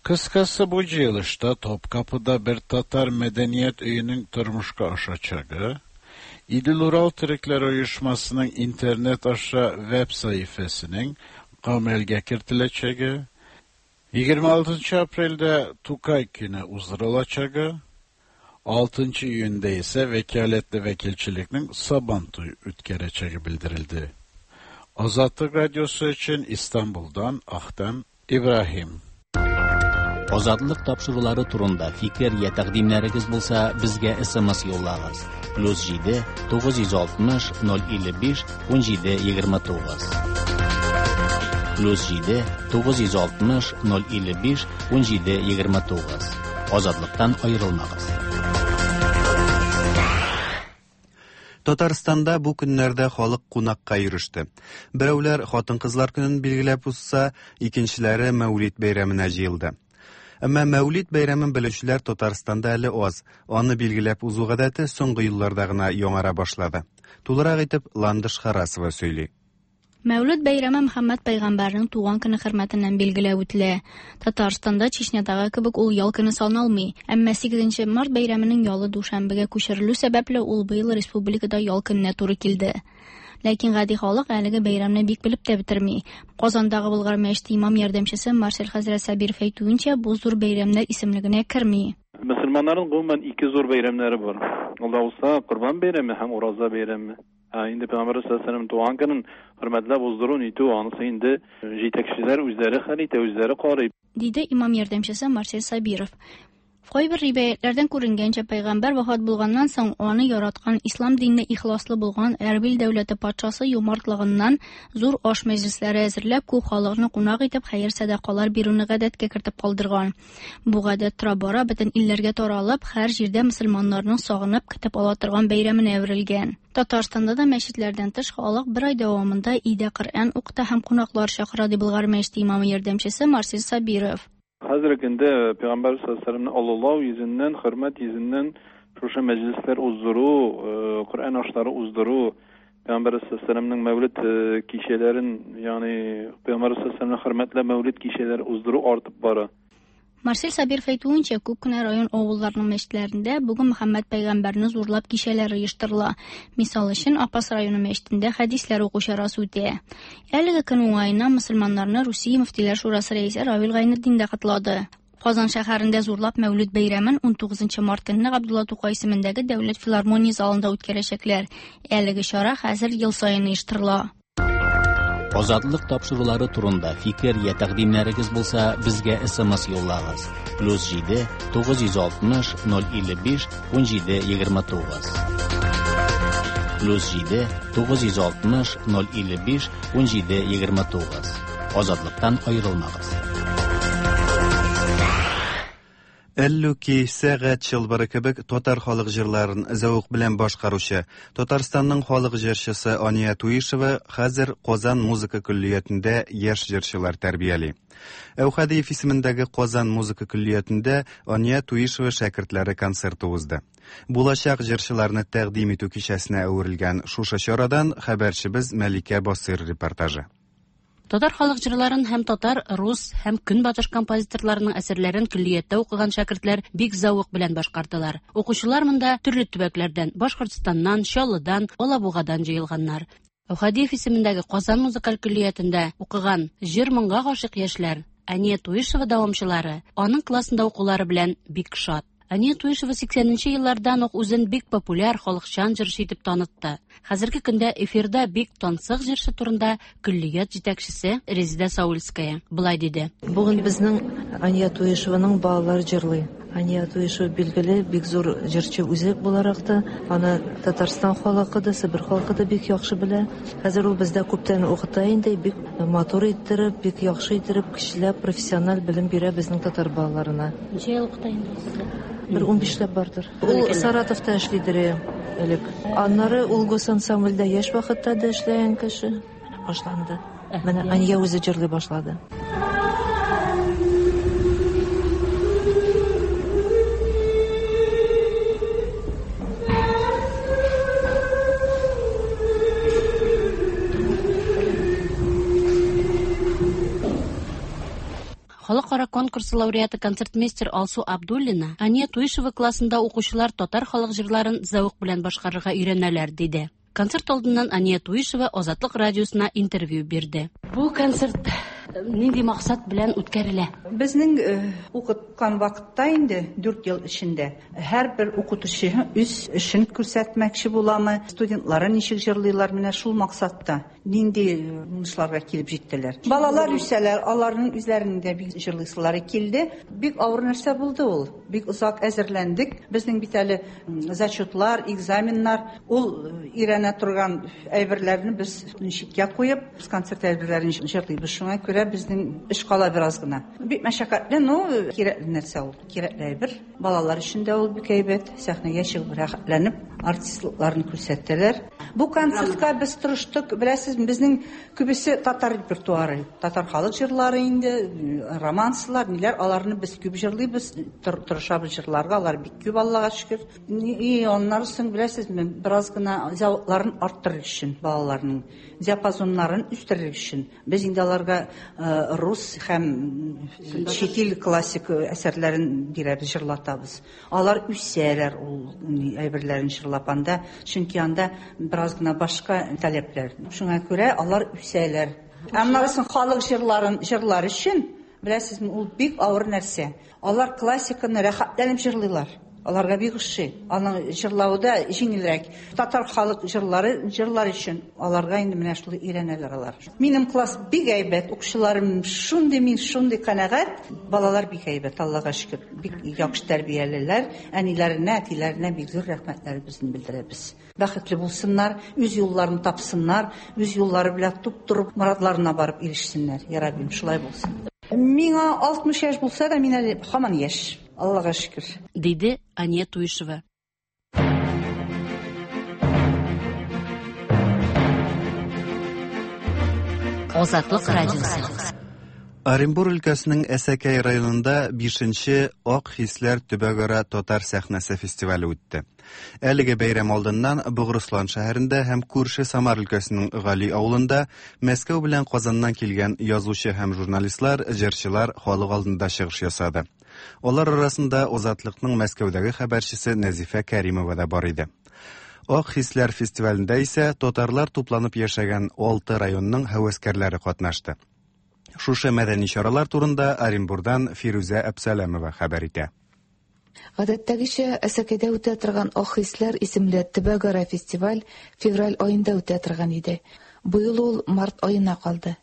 Speaker 16: Kıskası bu cıyılışta Topkapı'da bir Tatar medeniyet öyünün turmuşka aşacağı, İdil-Ural Türkler Uyuşması'nın internet aşağı web sayfasının kamelge kirtileceği, yigirma altıncı aprelde Tukay günü uzdurulacağı, altıncı iyunda ise vekaletli vekilçilikning Sabantoy o'tkazilajagi bildirildi. Azatlık Radyosu için İstanbul'dan Ahtem İbrahim.
Speaker 2: Азатлык тапшырулары турында фикер я тәкъдимнәрегез булса, безгә эс эм эс юллагыз. Плюс җиде тугыз йөз алтмыш ноль илле биш ун җиде егерме тугыз. Плюс җиде тугыз йөз алтмыш ноль илле биш ун җиде егерме тугыз. Азатлыктан аерылмагыз.
Speaker 1: Татарстанда бу көннәрдә халык кунакка йөреште. Берәүләр хатын-кызлар көнен билгеләп узса, икенчеләре Мәүлид бәйрәменә җыелды. Әмма Мәүлид бәйрәмен белүчеләр Татарстанда әле аз. Аны билгеләп узу гадәте соңгы елларда гына яңара башлады. Тулырак итеп Ландыш Харасова сөйли.
Speaker 17: Мәүлид бәйрәме Мөхәммәд пәйгамбәрнең туган көне хөрмәтеннән билгеләп үтелә. Татарстанда Чечнядагы кебек ул ял көне саналмый. Әмма сигезенче март бәйрәменең ялы дүшәмбегә күчерелү сәбәпле ул быел республикада ял көненә туры килде. Ләкин гади халык әлеге бәйрәмне бик белеп тә бетерми. Казандагы Болгар мәчете имам ярдәмчесе Марсель хәзрәт Сабиров әйтүенчә, бу зур бәйрәмнәр исемлегенә керми.
Speaker 18: Мөселманнарның гомумән ике зур бәйрәмнәре бар. Ул да булса Корбан бәйрәме һәм Ураза бәйрәме. Инде Пәйгамбәр саллаллаһу алейһи ва сәлләм туган көнен хөрмәтләп уздыру нитү, анысы инде җитәкчеләр үзләре хәл итә, үзләре карый.
Speaker 17: Диде имам ярдәмчесе Марсель Сабиров. Кайбер риваятләрдән күренгәнчә, пәйгамбәр вафат булганнан соң аны яраткан ислам диненә ихласлы булган Әрбил дәүләте патшасы юмартлыгыннан зур аш мәҗлесләре әзерләп, күп халыкны кунак итеп хәер сәдакалар бирүне гадәткә кертеп калдырган. Бу гадәт тора-бара бөтен илләргә таралып, һәр җирдә мөселманнарның сагынып көтеп ала торган бәйрәменә әверелгән. Татарстанда да мәчетләрдән тыш халык бер ай дәвамында өйдә Коръән укыта һәм кунаклар чакыра, ди Болгар мәчете имамы ярдәмчесе Марсель Сабиров.
Speaker 18: Хәзерге көндә Пәйгамбәр саллаллаһу алейһи ва сәлләмне олылау йөзеннән, хөрмәт йөзеннән шушы мәҗлесләр уздыру, Коръән ашлары уздыру, Пәйгамбәр саллаллаһу алейһи ва сәлләмнең мәүлид кичәләрен, ягъни Пәйгамбәр саллаллаһу алейһи ва сәлләмне хөрмәтләп мәүлид кичәләре уздыру артып бара.
Speaker 17: Марсель Сабиров әйтүенчә, күп кенә район авылларының мәчетләрендә бүген Мөхәммәд пәйгамбәрне зурлап кичәләр оештырыла. Мисал өчен, Апас районы мәчетендә хәдисләр уку чарасы үтә. Әлеге көн уңаеннан мөселманнарны Русия мөфтиләр шурасы рәисе Равил Гайнетдин дә котлады. Казан шәһәрендә зурлап Мәүлид бәйрәмен ун тугызынчы март көнне Габдулла Тукай исемендәге Дәүләт филармония залында үткәрәчәкләр. Әлеге чара хәзер ел саен оештырыла.
Speaker 2: Азатлык тапшырулары турында фикер я тәкъдимнәрегез булса, безгә эс эм эс юллагыз. Плюс җиде тугыз йөз алтмыш ноль илле биш ун җиде егерме тугыз. Плюс җиде тугыз йөз алтмыш ноль илле биш ун җиде егерме тугыз. Азатлыктан аерылмагыз.
Speaker 1: Әллүки, сәгать чылбыры кебек татар халык җырларын зәвык белән башкаручы Татарстанның халык җырчысы Ания Туишева хәзер Казан музыка көллиятендә яшь җырчылар тәрбияли. Әүхәдиев исемендәге Казан музыка көллиятендә Ания Туишева шәкертләре концерты узды. Булачак җырчыларны тәкъдим итү кичәсенә әверелгән шушы чарадан хәбәрчебез Мәликә Басыр репортажы.
Speaker 19: Татар халык җырларын һәм татар, рус һәм көнбатыш композиторларының әсәрләрен көллияттә укыган шәкертләр бик зәвык белән башкардылар. Укучылар монда төрле төбәкләрдән, Башкортстаннан, Чаллыдан, Алабугадан җыелганнар. Әүхәдиев исемендәге Казан музыкаль көллиятендә укыган җыр моңга гашыйк яшьләр Ания Туишева дәвамчылары аның классында укулары белән бик шат. Ания Туишева сиксәненче еллардан ук үзен бик популяр халыкчан җырчы итеп танытты. Хәзерге көндә эфирда бик тансык җырчы турында көллият җитәкчесе Резеда Саульская былай диде.
Speaker 20: Бүген безнең Ания Туишеваның балалары җырлый. Ания Туишева билгеле бик зур җырчы үзе буларак та, аны Татарстан халкы да, Себер халкы да бик яхшы белә. Хәзер ул бездә күптән укыта инде, бик матур иттереп, бик яхшы иттереп, кешеләр профессиональ белем бирә безнең татар балаларына.
Speaker 19: Ничә ел укыта инде сезгә?
Speaker 20: Бер унбишләп бардыр. Ул Саратовта эшлидер элек. Аннары ул госансамбльдә яшь вакытта да эшләгән кеше. Менә башланды. Менә Ания үзе җырлый башлады.
Speaker 19: Халыкара конкурсы лауреаты концертмейстер Алсу Абдуллина Ания Туишева классында укучылар татар халык җырларын зәвык белән башкарырга өйрәнәләр, диде. Концерт алдыннан Ания Туишева Азатлык радиосына интервью бирде.
Speaker 21: Бу концерт
Speaker 19: Нинди максат белән үткәрелә?
Speaker 21: Безнең укыткан вакытта инде дүрт ел эчендә һәрбер укытучы үз эшен күрсәтмәкче буламы, студентлары ничек җырлыйлар, менә шул максатта нинди уңышларга килеп җиттеләр. Балалар үсәләр, аларның үзләренең дә бик җырлыйсылары килде. Бик авыр нәрсә булды ул. Бик озак әзерләндек. Безнең бит әле зачетлар, экзаменнар, ул өйрәнә торган әйберләрне без читкә куеп, без концерт әйберләрен җырлыйбыз. Шуңа күрә безнең эш кала бераз гына. Бик мәшәкатьле, но кирәкле нәрсә ул. Кирәкле әйбер. Балалар өчен дә ул бик әйбәт. Сәхнәгә чыгып рәхәтләнеп артистлыкларын күрсәттеләр. Бу концертка без тырыштык, беләсез, безнең күбесе татар репертуары, татар халык җырлары инде, романслар, ниләр, аларны без күп җырлыйбыз, тырышабыз җырларга, алар бик күп, Аллага шөкер. И аннары соң, беләсезме, бераз гына зәвыкларын арттырыр өчен, балаларның диапазоннарын үстерер өчен, без инде аларга рус һәм чит ил классик әсәрләрен бирәбез, җырлатабыз. Алар үсәләр ул әйберләрен җырлап анда, чөнки анда бераз гына башка таләпләр. Шуңа күрә алар үсәләр. Аннары соң халык җырларын җырлар өчен, беләсезме, ул бик авыр нәрсә. Алар классиканы рәхәтләнеп җырлыйлар. Аларга бик ошый. Аның җырлавы да җиңелрәк. Татар халык җырлары җырлар өчен аларга инде менә шулай өйрәнәләр алар. Минем класс бик әйбәт, укучыларым шундый, мин шундый канәгать. Балалар бик әйбәт, Аллага шөкер. Бик яхшы тәрбиялеләр. Әниләренә, әтиләренә бик зур рәхмәтләребезне белдерәбез. Бәхетле булсыннар, үз юлларын тапсыннар, үз юллары белән туп-туры морадларына барып ирешсеннәр. Я Раббим, шулай булсын. Миңа алтмыш яшь булса да, мин әле һаман яшь. Аллага шөкер.
Speaker 19: Диде Ания Туишева.
Speaker 3: Азатлык радиосы.
Speaker 1: Оренбур өлкәсенең Әсәкәй районында бишенче Ак хисләр төбәкара татар сәхнәсе фестивале үтте. Әлеге бәйрәм алдыннан Богырыслан шәһәрендә һәм күрше Самар өлкәсенең Гали авылында Мәскәү белән Казаннан килгән язучы һәм журналистлар, җырчылар халык алдында чыгыш ясады. Алар арасында Азатлыкның Мәскәүдәге хәбәрчесе Нәзифә Кәримова да бар иде. Ак хисләр фестивалендә исә татарлар тупланып яшәгән алты районның һәвәскәрләре катнашты. Шушы мәдәни чаралар турында Оренбурдан Фирүзә Әпсәләмова хәбәр итә.
Speaker 22: Гадәттәгечә Әсәкәйдә үтә торган Ак хисләр исемле төбәкара фестиваль февраль аенда үтә торган иде. Быел ул март аена калды.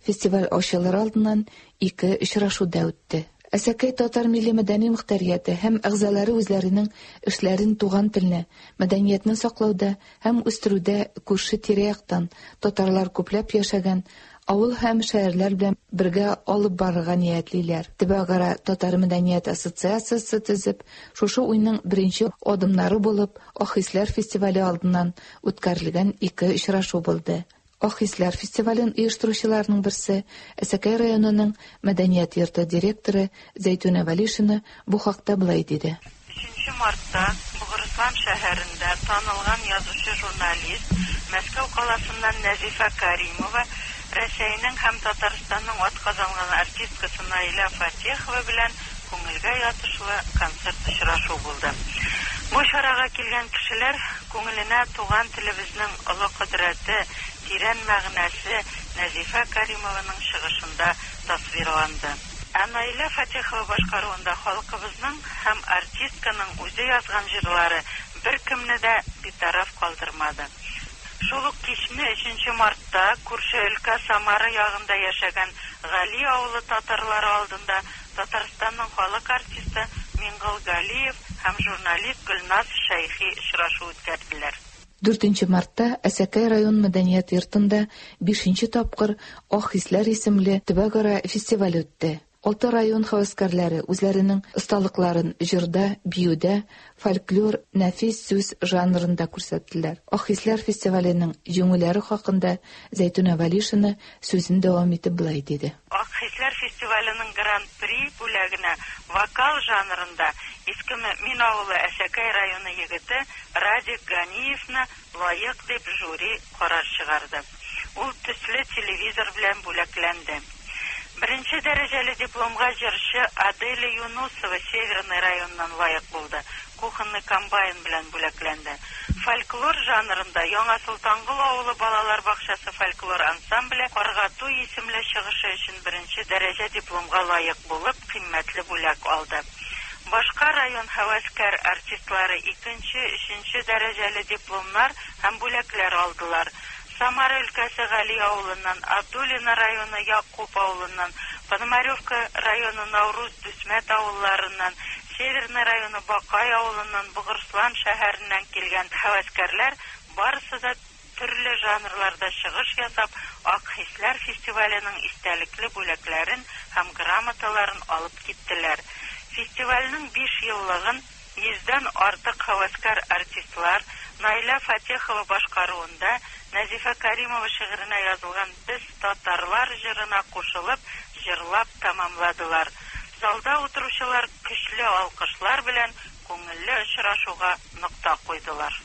Speaker 22: Фестиваль ачылыр алдыннан ике очрашу да үтте. Әсәкәй татар милли мәдәни мөхтәрияте һәм әгъзалары үзләренең эшләрен туган телне, мәдәниятне саклауда һәм үстерүдә күрше тирә-яктан татарлар күпләп яшәгән авыл һәм шәһәрләр белән бергә алып барырга ниятлиләр. Төбәкара татар мәдәният ассоциациясе төзеп, шушы уйның беренче адымнары булып, Ак хисләр фестивале алдыннан үткәрелгән ике очрашу булды. Ак хисләр фестивален оештыручыларның берсе Әсәкәй районының мәдәният йорты директоры Зәйтүнә Вәлишина бу хакта былай диде.
Speaker 23: Өченче мартта Богырыслан шәһәрендә танылган язучы журналист Мәскәү каласыннан Нәзифә Кәримова Рәсәйнең һәм Татарстанның атказанган артисткасы Наилә Фатехова белән күңелгә ятышлы концерт очрашу булды. Бу чарага килгән кешеләр күңеленә туган телебезнең олы кодрәте, тирән мәгънәсе Нәзифә Кәримованың чыгышында тасвирланды. Ә Наилә Фатехова башкаруында халкыбызның һәм артистканың үзе язган җырлары беркемне дә битараф калдырмады. Шул ук кичне өченче мартта күрше өлкә Самара ягында яшәгән Гали авылы татарлары алдында Татарстанның халык артисты Миңгол Галиев һәм журналист Гөлназ Шәйхи очрашу үткәрделәр.
Speaker 22: Дүртенче мартта Әсәкәй район мәдәният йортында бишенче тапкыр Ак хисләр исемле төбәкара фестиваль үтте. Алты район һәвәскәрләре үзләренең осталыкларын җырда, биюдә, фольклор, нәфис сүз жанрында күрсәттеләр. Ак хисләр фестиваленең җиңүләре хакында Зәйтүнә Вәлишина сүзен дәвам итеп былай диде.
Speaker 23: Ак хисләр фестиваленең гран-при бүләгенә вокал жанрында Иске Мөмин авылы Әсәкәй районы егете Радик Ганиевны лаек дип жюри карар чыгарды. Ул төсле телевизор белән бүләкләнде. Беренче дәрәҗәле дипломга җырчы Аделя Юнусова Северный районыннан лаек булды. кухонный комбайн белән бүләкләнде. Фольклор жанрында Яңа Солтангол авылы балалар бакчасы фольклор ансамбле Карга туй исемле чыгышы өчен беренче дәрәҗә дипломга лаек булып, кыйммәтле бүләк алды. Башка район һәвәскәр артистлары икенче, өченче дәрәҗәле дипломнар һәм бүләкләр алдылар. Самара өлкәсе Гали авылыннан, Абдулино районы Якуб авылыннан, Пономаревка районы Науруз Дүсмәт авылларыннан, Северный районы Бакай авылыннан, Богырыслан шәһәреннән килгән һәвәскәрләр барысы да төрле жанрларда чыгыш ясап, Ак хисләр фестиваленең истәлекле бүләкләрен һәм грамоталарын алып киттеләр. Фестивальнең биш еллыгын йөздән артык һәвәскәр артистлар Наилә Фатехова башкаруында Нәзифә Каримова шигыренә язылган Без татарлар җырына кушылып, җырлап тәмамладылар. Залда утыручылар көчле алкышлар белән күңелле очрашуга нокта куйдылар.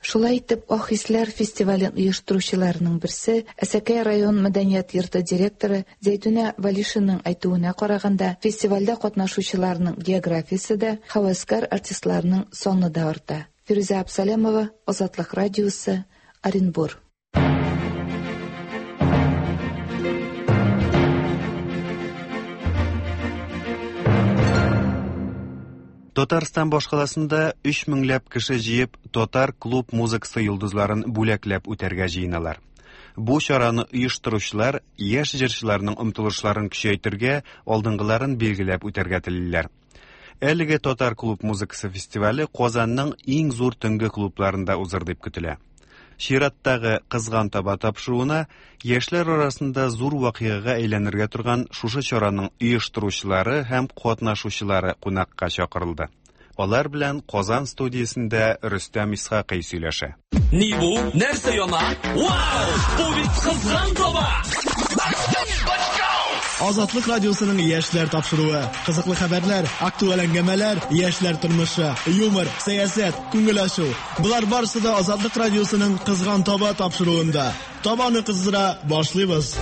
Speaker 22: Шулай итеп, Ак хисләр фестивален оештыручыларының берсе Әсәкәй район мәдәният йорты директоры Зәйтүнә Валишинаның әйтүенә караганда, фестивальдә катнашучыларның географиясе дә, һәвәскәр артистларның саны да арта. Фирүзә Абсалямова, Азатлык радиосы, Оренбур.
Speaker 1: Татарстан башкаласында өч меңләп кеше җыеп, татар клуб музыкасы йолдызларын бүләкләп үтәргә җыеналар. Бу чараны оештыручылар яшь җырчыларның омтылышларын көчәйтергә, алдынгыларын билгеләп үтәргә телиләр. Әлеге татар клуб музыкасы фестивале Казанның иң зур төнге клубларында узыр дип көтелә. Чираттагы Кызган таба тапшыруына яшьләр арасында зур вакыйгага әйләнергә торган шушы чараның оештыручылары һәм катнашучылары кунакка чакырылды. Алар белән Казан студиясендә Рөстәм Исхакый сөйләшә.
Speaker 4: Ни бу? Нәрсә яна? Вау! Бу бит Кызган таба!
Speaker 5: Азатлык радиосының яшьләр тапшыруы. Кызыклы хәбәрләр, актуаль әңгәмәләр, яшьләр тормышы, юмор, сәясәт, күңел ачу. Болар барысы да Азатлык радиосының Кызган таба тапшыруында. Табаны кыздыра башлыйбыз.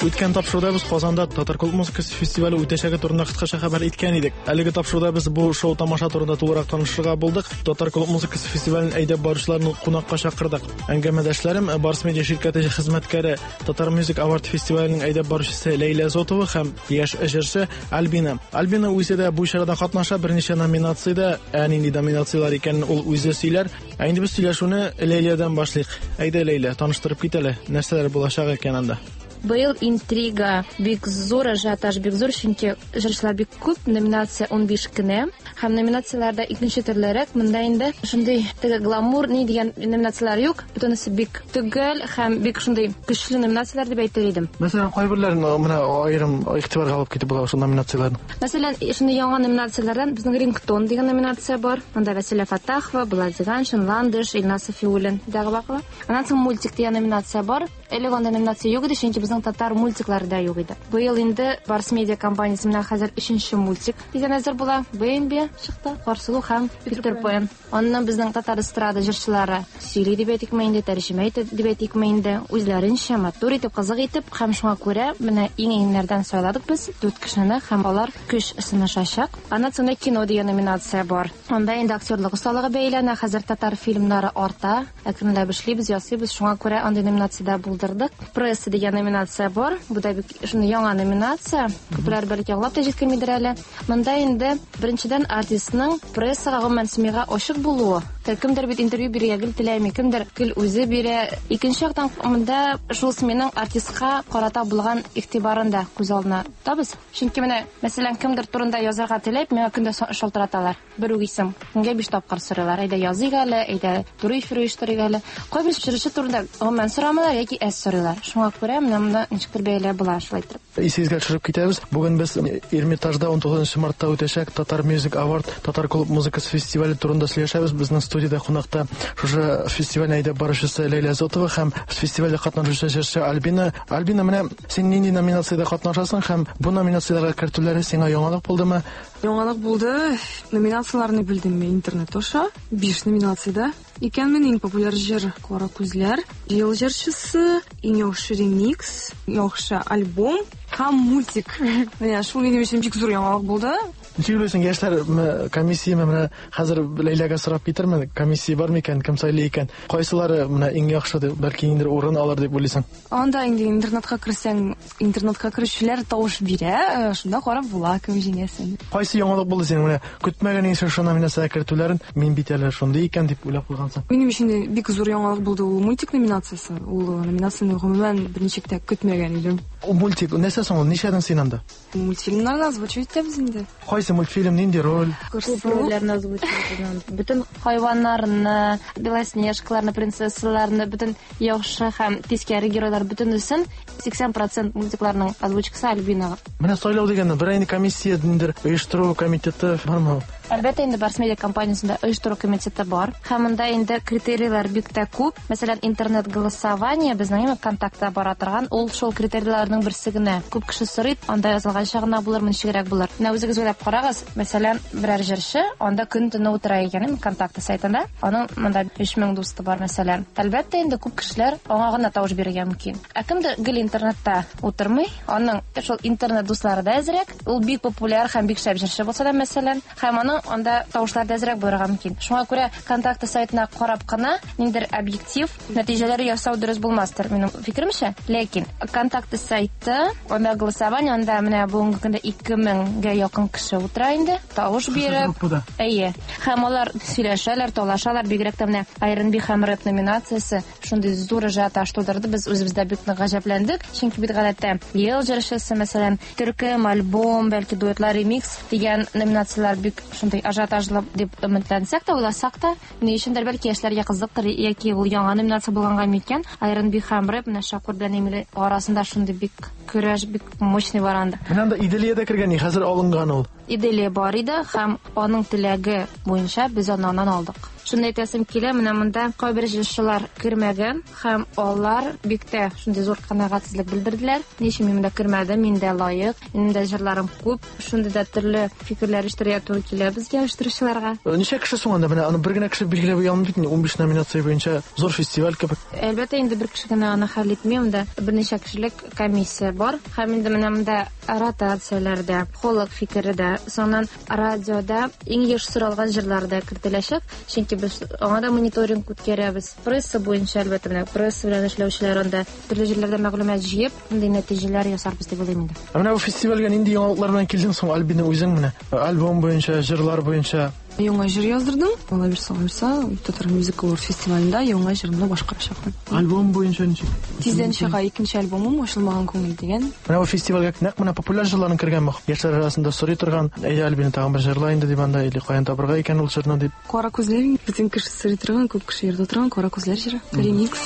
Speaker 5: Үткән тапшыруда без Казанда татар клуб музыкасы фестивале үтәчәге турында кыскача хәбәр иткән идек. Әлеге тапшыруда без бу шоу тамаша турында тулырак танышырга булдык. Татар клуб музыкасы фестивален әйдәп баручыларны кунакка чакырдык. Әңгәмәдәшләрем Барс Медиа ширкәте хезмәткәре Татар Music Award фестиваленең әйдәп баручысы Ләйлә Зотова һәм яшь җырчы Альбина. Альбина үзе дә бу чарада катнаша, берничә номинациядә, ә нинди номинацияләр икәнен ул үзе сөйләр. Ә инде без сөйләшүне Ләйләдән башлыйк. Әйдә, Ләйлә, таныштырып кит әле, нәрсәләр булачак икән анда?
Speaker 6: Быел интрига бик зур, ажиотаж бик зур, чөнки җырчылар бик күп, номинация унбиш кенә. Һәм номинацияләрдә икенче төрлерәк, монда инде шундый теге гламур ни дигән номинацияләр юк, бөтенесе бик төгәл һәм бик шундый көчле номинацияләр дип әйтер идем.
Speaker 5: Мәсәлән, кайберләрен менә аерым игътибарга алып китеп була шул номинацияләрне.
Speaker 6: Мәсәлән, шундый яңа номинацияләрдән безнең Рингтон дигән номинация бар. Монда Вәсилә Фаттахова, Булат Зиганшин, Ландыш, Илназ Сафиуллин дагы бакыла. Аннан соң мультик дигән номинация бар. Элек анда номинация юк иде, чөнки безнең татар мультиклары да юк иде. Быел инде Барс Медиа компаниясе менә хәзер өченче мультик дигән әзер була. Бэмби чыкты, Карсылу һәм Питер Пен. Аннан безнең татар эстрада җырчылары сөйли дип әйтикме инде, тәрҗемә итә дип әйтикме инде, үзләренчә матур итеп, кызык итеп һәм шуңа күрә менә иң-иңнәрдән сайладык без дүрт кешене һәм алар көч сынашачак. Аннан соң кино дигән номинация бар. Анда инде актерлык осталыгы бәйләнә. Хәзер татар фильмнары арта, әкренләп эшлибез, ясыйбыз, шуңа күрә андый номинациядә булдырдык. Пресса дигән номинация бар. Бу да бик шундый яңа номинация. Күпләр бәлки аңлап та җиткермидер әле. Монда инде беренчедән артистның прессага, гомумән СМИга ачык булуы. Кемдер бит интервью бирергә гел теләми, кемдер гел үзе бирә. Икенче яктан монда шул СМИның артистка карата булган игътибарын да күз алдына тотабыз. Чөнки менә, мәсәлән, кемдер турында язарга теләп, миңа көндә шалтыраталар. Бер үк исем. Көнгә биш тапкыр сорыйлар. Әйдә языйк әле, әйдә туры эфир оештырыйк әле. Кайбер җырчы турында гомумән сорамыйлар яки әз сорыйлар. Шуңа күрә менә монда ничектер бәяләп була шулай итеп.
Speaker 5: Исегезгә төшереп китәбез. Бүген без Эрмитажда он тугызынчы мартта үтәчәк Татар Music Award татар клуб музыкасы фестивале турында сөйләшәбез. Безнең студияда кунакта шушы фестивальне әйдәп баручысы Ләйлә Зотова һәм фестивальдә катнашучы җырчы Альбина. Альбина, менә син нинди номинациядә катнашасың һәм бу номинацияләргә кертүләре сиңа яңалык булдымы?
Speaker 24: Яңалык булды. Номинацияләрне белдем мин интернет аша. Биш номинациядә. Икәнмен иң популяр җыр Кара күзләр, ел җырчысы, иң яхшы ремикс, яхшы альбом Һәм мультик. Менә шул минем өчен бик зур яңалык булды.
Speaker 5: Ничек уйлыйсың, яшьләр комиссияме менә хәзер Ләйләгә сорап китерме? Комиссия бар микән, кем сайлый икән? Кайсылары менә иң яхшы дип, бәлки инде урын алыр дип уйлыйсың?
Speaker 24: Анда инде интернетка керсәң, интернетка керүчеләр тавыш бирә, шунда карап була кем җиңәсен.
Speaker 5: Кайсы яңалык булды синең менә көтмәгән инде шушы номинациягә кертүләрен, мин бит әле шундый икән дип уйлап куйгансың?
Speaker 24: Минем өчен бик зур яңалык булды ул мультик номинациясе. Ул номинацияне гомумән берничек тә көтмәгән идем.
Speaker 5: Ул мультик нәрсә соң ул? Нишәдән син анда?
Speaker 24: Мультфильмнарны озвучивать итәбез инде.
Speaker 5: Кайсы мультфильм, нинди роль?
Speaker 6: Күп рольләрне озвучивать итәбез. Бөтен хайваннарны, Белоснежкаларны, принцессаларны, бөтен яхшы һәм тискәре геройлар бөтенесен сиксән процент мультикларның озвучкасы Альбинага.
Speaker 5: Менә сайлау дигәндә бер инде комиссия ниндидер оештыру комитеты бармы?
Speaker 6: Әлбәттә инде Барс Медиа компаниясендә оештыру комитеты бар. Һәм монда инде критерийлар бик тә күп. Мәсәлән, интернет голосование безнең инде контактта бара торган, ул шул критерийларның берсе генә. Күп кеше сорый, анда язылганча гына булыр, ничегрәк булыр. Менә үзегез уйлап карагыз, мәсәлән, берәр җырчы анда көн төне утыра икән, контакты сайтында. Аның монда өч мең дусты бар, мәсәлән. Әлбәттә инде күп кешеләр аңа гына тавыш бирергә мөмкин. Ә кемдер гел интернетта утырмый, аның шул интернет дуслары да әзрәк, ул бик популяр һәм бик шәп җырчы булса да, мәсәлән, һәм аның анда тавышлар да әзрәк булырга мөмкин. Шуңа күрә контакты сайтына карап кына ниндидер объектив нәтиҗәләр ясау дөрес булмастыр, минем фикеремчә. Ләкин контакты сайты, анда голосование, анда менә бүгенге көндә ике меңгә якын кеше утыра инде, тавыш биреп. Әйе. Һәм алар сөйләшәләр, талашалар, бигрәк тә менә ар энд би һәм рэп номинациясе шундый зур ажиотаж тудырды. Без үзебез дә бик нык гаҗәпләндек, чөнки бит гадәттә ел җырчысы, мәсәлән, төркем, альбом, бәлки дуэтлар, ремикс дигән номинацияләр бик шундый ажиотажлы дип өметләнсәк тә, уйласак та, ни өчендер бәлки яшьләргә кызыктыр яки ул яңа номинация булганга микән, ар энд би һәм рэп менә Шакур белән Эмиль арасында шундый бик көрәш, бик мощный бар анда.
Speaker 5: Менә анда Иделия дә кергән, хәзер алынган ул.
Speaker 6: Иделия бар иде һәм аның теләге буенча без аны аннан алдык. Шуны әйтәсем килә, менә монда кайбер җырчылар кермәгән һәм алар бик тә шундый зур канәгатьсезлек белдерделәр. Ни өчен мин монда кермәдем, мин дә лаек, минем дә җырларым күп. Шундый да төрле фикерләр ишетергә туры килә безгә, оештыручыларга.
Speaker 5: Ничә кеше соң анда? Менә аны бер генә кеше билгеләп куя алмый бит инде, унбиш номинация буенча зур фестиваль кебек.
Speaker 6: Әлбәттә инде бер кеше генә аны хәл итми, монда берничә кешелек комиссия бар. Һәм инде менә монда ротацияләрдә, халык фикере дә, соңыннан радиода иң еш соралган җырлар да кертеләчәк, чөнки без аңа да мониторинг үткәрәбез. Пресса буенча әлбәттә менә пресса белән эшләүчеләр анда төрле җирләрдә мәгълүмат җыеп, мондый нәтиҗәләр ясарбыз дип уйлыйм инде.
Speaker 5: Ә менә бу фестивальгә нинди яңалыклар белән килдең соң, Альбина, үзең менә? Альбом буенча, җырлар буенча?
Speaker 24: Яңа җыр яздырдым. Алла бирсә, алла бирсә, Татар Music Award фестивалендә яңа җырымны башкарачакмын.
Speaker 5: Альбом буенча ничек?
Speaker 24: Тиздән чыга икенче альбомым, Ачылмаган күңел дигән.
Speaker 5: Менә бу фестивальгә нәкъ менә популяр җырларның кергән бу. Яшьләр арасында сорый торган, әйдә Альбина тагын бер җырла инде дип анда, или каян табырга икән ул җырны дип.
Speaker 24: Кара күзләр, бөтен кеше сорый торган, күп кеше йөртә торган Кара күзләр җыры. Ремикс.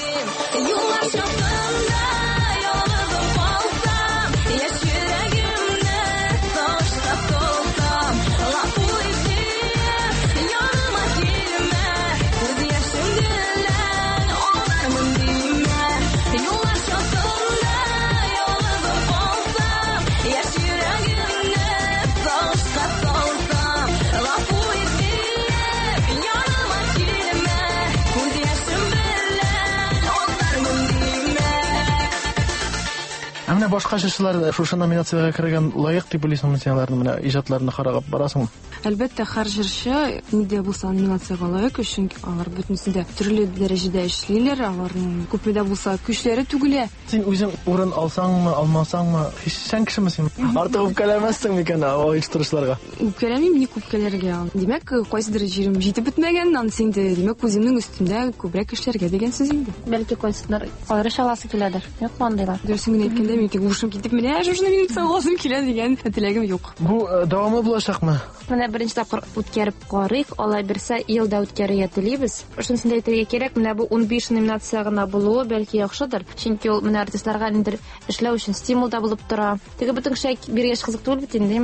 Speaker 5: Ә менә башка җырчылар шушы номинациягә кергән лаек дип уйлыйсыңмы син аларны, менә иҗатларына карап барасыңмы?
Speaker 24: Әлбәттә, һәр җырчы нидә булса номинациягә лаек, чөнки алар бөтенесе дә төрле дәрәҗәдә эшлиләр, аларның күпме дә булса көчләре түгелә.
Speaker 5: Син үзең урын алсаңмы, алмасаңмы, хисчән кешеме син? Артык үпкәләмәссең микән оештыручыларга?
Speaker 24: Үпкәләмим, ник үпкәләргә? Димәк, кайсыдыр җирем җитеп бетмәгән, анысы инде, димәк, үземнең өстемдә күбрәк эшләргә дигән сүз инде.
Speaker 6: Бәлки кайсыдыр аерыш аласы киләдер. Юкмы андыйлар?
Speaker 24: Дөресен генә әйткәндә, мин тик ушым китеп, менә шушы номинациягә аласым килә дигән теләгем юк.
Speaker 5: Бу дәвамлы булачакмы?
Speaker 6: Менә беренче тапкыр үткәреп карыйк, алай бирсә, ел да үткәрергә телибез. Шунысын да әйтергә кирәк, менә бу унбиш номинация гына булуы бәлки яхшыдыр, чөнки ул менә артистларга ниндидер эшләү өчен стимул да булып тора. Теге бөтен кешегә биргәч кызык түгел бит инде,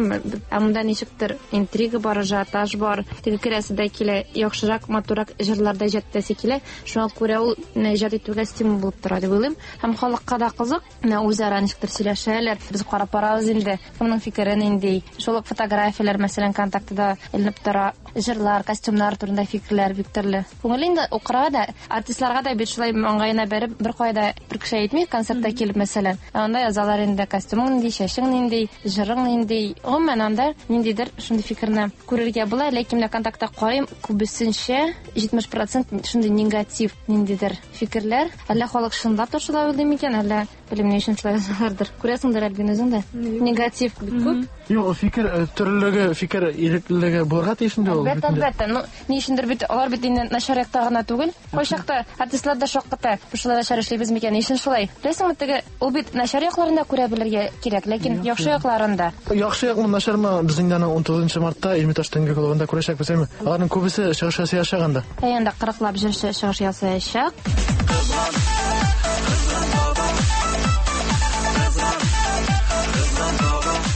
Speaker 6: ә монда ничектер интрига бар, ажиотаж бар. Теге керәсе дә килә, яхшырак, матуррак җырлар да иҗат итәсе килә. Шуңа күрә ул иҗат итүгә стимул булып тора дип уйлыйм. Һәм халыкка да кызык, менә үзара ничектер сөйләшәләр. Без карап барабыз инде, кемнең фикере нинди. Шул ук фотографияләр, мәсәлән, контактта Контактыда эленеп тора. Җырлар, костюмнар турында фикерләр бик төрле. Күңелле инде укырга да, артистларга да бит шулай маңгаена бәреп бер кайда бер кеше әйтми, концертта килеп мәсәлән. Анда язалар инде костюмың нинди, чәчең нинди, җырың нинди. Гомумән анда ниндидер шундый фикерне күрергә була, ләкин менә Контактта карыйм, күбесенчә җитмеш процент шундый негатив ниндидер фикерләр. Әллә халык чынлап та шулай уйлый микән, әллә белмим ни өчен шулай язалардыр. Күрәсеңдер әлбин үзең дә. Негатив бик күп.
Speaker 5: Юк, фикер төрлелеге, фикер иреклелеге булырга тиеш инде ул.
Speaker 6: Әлбәттә, әлбәттә. Ну, ни өчендер бит алар бит инде начар якта гына түгел. Кайчакта артистлар да шакката. Без шулай начар эшлибез микән? Ни өчен шулай? Беләсеңме, теге ул бит начар якларын да күрә белергә кирәк, ләкин яхшы якларын да.
Speaker 5: Яхшы якмы, начармы, без инде аны ун тугызынчы мартта Эрмитаж төнге клубында күрәчәкбез, әйме? Аларның күбесе чыгыш ясаячак анда.
Speaker 6: Әйе, анда кырыклап җырчы чыгыш ясаячак.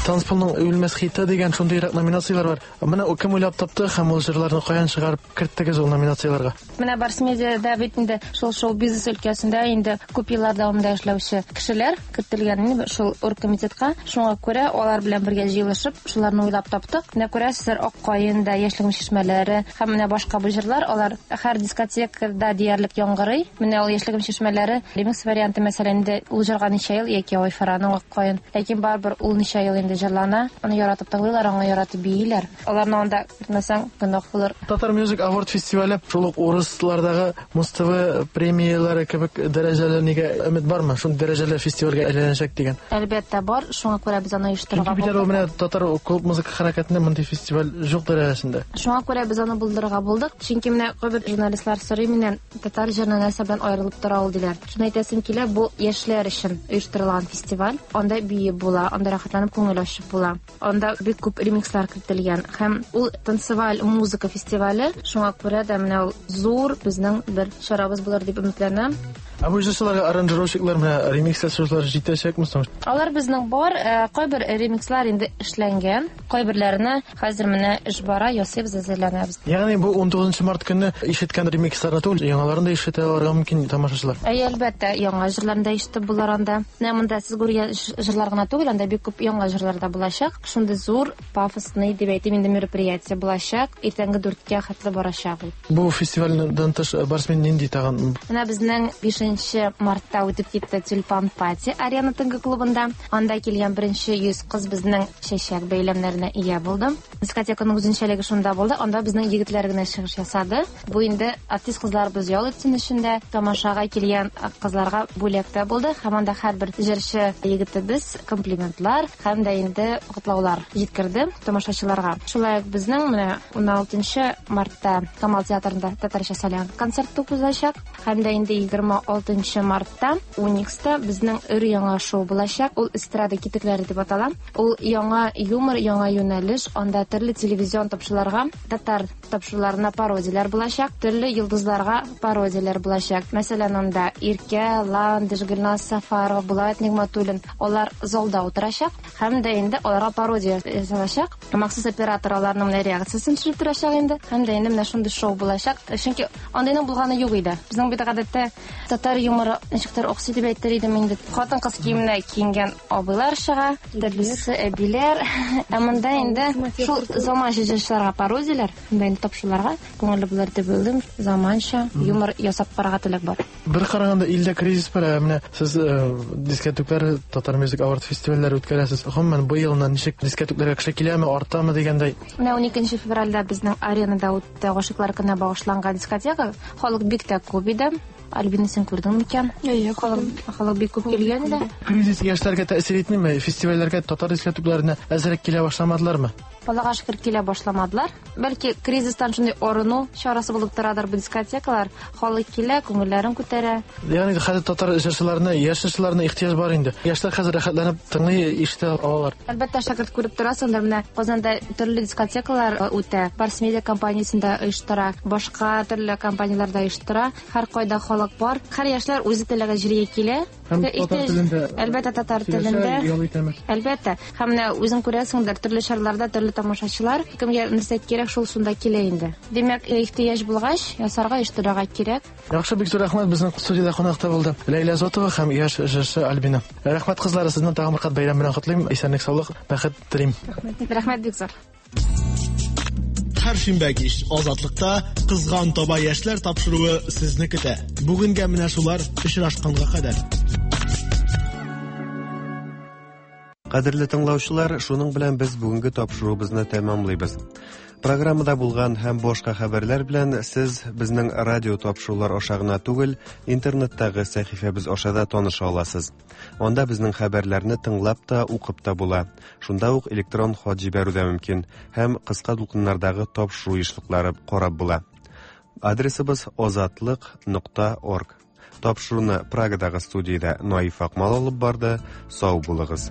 Speaker 5: Танцполның үлмәс хиты дигән шундыйрак номинацияләр бар. Менә кем уйлап тапты һәм ул җырларны каян чыгарып керттегез ул номинацияләргә?
Speaker 6: Менә Барс Медиада бит инде шул шоу-бизнес өлкәсендә инде күп еллар дәвамында эшләүче кешеләр кертелгән инде шул оргкомитетка. Шуңа күрә алар белән бергә җыелышып, шуларны уйлап таптык. Менә күрәсезләр, Ак каен да, Яшьлегем чишмәләре һәм менә башка бу җырлар, алар һәр дискотекада диярлек яңгырый. Менә ул Яшьлегем чишмәләре ремикс варианты, мәсәлән, инде ул җырга ничә ел яки Айфараның Ак каен. Ләкин барыбер ул ничә ел инде җырлана, аны яратып тыңлыйлар, аңа яратып бииләр. Аларны анда кертмәсәң, гөнаһ булыр.
Speaker 5: Татар Music Award фестивале шул ук урыслардагы Муз-ТВ премияләре кебек дәрәҗәле нигә өмет бармы? Шундый дәрәҗәле фестивальгә әйләнәчәк дигән.
Speaker 6: Әлбәттә бар, шуңа күрә без аны оештырырга
Speaker 5: булдык. Чөнки менә татар клуб музыка хәрәкәтендә мондый фестиваль юк дәрәҗәсендә.
Speaker 6: Шуңа күрә без аны булдырырга булдык. Чөнки менә кайбер журналистлар сорый миннән, татар җырына нәрсә белән аерылып тора ул диләр. Шуны әйтәсем килә, бу яшьләр өчен оештырылган фестиваль. Анда биеп була, анда рәхәтләнеп күңел ачып була. Анда бик күп ремикслар кертелгән һәм ул танцеваль музыка фестивале. Шуңа күрә дә менә ул зур безнең бер чарабыз булыр дип өметләнәм.
Speaker 5: Ә бу җырчыларга аранжировщиклар менә ремикс ясаучылар җитәчәкме соң?
Speaker 6: Алар безнең бар, кайбер ремикслар инде эшләнгән, кайберләренә хәзер менә эш бара, ясыйбыз, әзерләнәбез.
Speaker 5: Ягъни бу ун тугызынчы март көнне ишеткән ремиксларны түгел, яңаларын да ишетә алырга мөмкин тамашачылар.
Speaker 6: Әйе, әлбәттә, яңа җырларны да ишетеп булыр анда. Менә монда сез күргән җырлар гына түгел, анда бик күп яңа җырлар да булачак. Шундый зур пафосный дип әйтим инде мероприятие булачак. Иртәнге дүрткә хәтле барачак ул.
Speaker 5: Бу фестивальдән тыш Барсмен нинди тагын?
Speaker 6: Менә безнең бишенче мартта үтеп китте Тюльпан пати Арена төнге клубында. Анда килгән беренче йөз кыз безнең чәчәк бәйләмнәренә ия булды. Дискотеканың үзенчәлеге шунда булды. Анда безнең егетләр генә чыгыш ясады. Бу инде артист кызларыбыз ял итсен өчен дә, тамашага килгән кызларга бүләк тә булды. Һәм анда һәрбер җырчы егетебез комплиментлар һәм дә инде котлаулар җиткерде тамашачыларга. Шулай ук безнең менә ун алтынчы мартта Камал театрында татарча солянка концерты узачак. Һәм дә инде егерме алтынчы мартта Уникста безнең өр-яңа шоу булачак. Ул эстрада китекләре дип атала. Ул яңа юмор, яңа юнәлеш. Анда төрле телевизион тапшыруларга, татар тапшыруларына пародияләр булачак, төрле йолдызларга пародияләр булачак. Мәсәлән, анда Иркә, Ландыш, Гөлназ Сафарова, Булат Нигматуллин, алар залда утырачак һәм дә инде аларга пародия ясалачак. Махсус оператор аларның менә реакциясен төшереп торачак инде. Һәм дә инде менә шундый шоу булачак. Чөнки андыйның булганы юк иде. Безнең бит гадәттә татар юморы ничектер оксый дип әйтер идем инде. Хатын-кыз киеменә киенгән абыйлар чыга, төрлесе әбиләр. Ә монда инде шул заманча җырчыларга пародияләр, монда инде тапшыруларга күңелле булыр дип уйлыйм. Заманча юмор ясап карарга теләк бар.
Speaker 5: Бер караганда илдә кризис бар, ә менә сез дискотеклар, Татар Music Award фестивальләре үткәрәсез. Гомумән, бу елны ничек дискотекларга кеше киләме, артамы дигәндәй?
Speaker 6: Менә ун икенче февральдә безнең аренада үтте гашыйклар көненә багышланган дискотека. Халык бик тә күп иде. Альбина, син күрдеңме икән?
Speaker 24: Әйе,
Speaker 6: халык халык бик күп килгән иде.
Speaker 5: Кризис яшьләргә тәэсир итмиме? Фестивальләргә, татар дискотекларына әзрәк килә башламадылармы?
Speaker 6: Аллага шөкер, килә башламадылар. Бәлки кризистан шундый арыну чарасы булып торадыр бу дискотекалар. Халык килә, күңелләрен күтәрә.
Speaker 5: Ягъни хәзер татар җырчыларына, яшь җырчыларына ихтыяҗ бар инде. Яшьләр хәзер рәхәтләнеп тыңлый, ишетә алалар.
Speaker 6: Әлбәттә, шәкерт күреп торасыңдыр, менә Казанда төрле дискотекалар үтә. Барс Медиа компаниясендә оештыра, башка төрле компанияләрдә оештыра. Һәр кайда халык бар. Һәр яшьләр үзе теләгән җиргә килә. Әлбәттә, татар телендә. Әлбәттә. Һәм менә үзең күрәсеңдер, төрле чараларда төрле тамашачылар, кемгә нәрсә кирәк, шул шунда килә инде. Димәк, ихтыяҗ булгач, ясарга, оештырырга кирәк.
Speaker 5: Яхшы, бик зур рәхмәт. Безнең студиядә кунакта булды Ләйлә Зотова һәм яшь җырчы Альбина. Рәхмәт, кызлар, сезне тагын бер кат бәйрәм белән котлыйм. Исәнлек, саулык, бәхет телим.
Speaker 6: Рәхмәт. Рәхмәт бик зур.
Speaker 5: Һәр шимбә кич Азатлыкта Кызган таба яшьләр тапшыруы сезне көтә. Бүгенгә менә шулар, очрашканга кадәр.
Speaker 1: Кадерле тыңлаучылар, шуның белән без бүгенге тапшыруыбызны тәмамлыйбыз. Программада булган һәм башка хәбәрләр белән сез безнең радио тапшырулар аша гына түгел, интернеттагы сәхифәбез аша да таныша аласыз. Анда безнең хәбәрләрне тыңлап та, укып та була. Шунда ук электрон хат җибәрү дә мөмкин һәм кыска дулкыннардагы тапшыру ешлыклары карап була. Адресыбыз озатлык нокта орг. Тапшыруны Прагадагы студиядә Наиф Акмал алып барды. Сау булыгыз.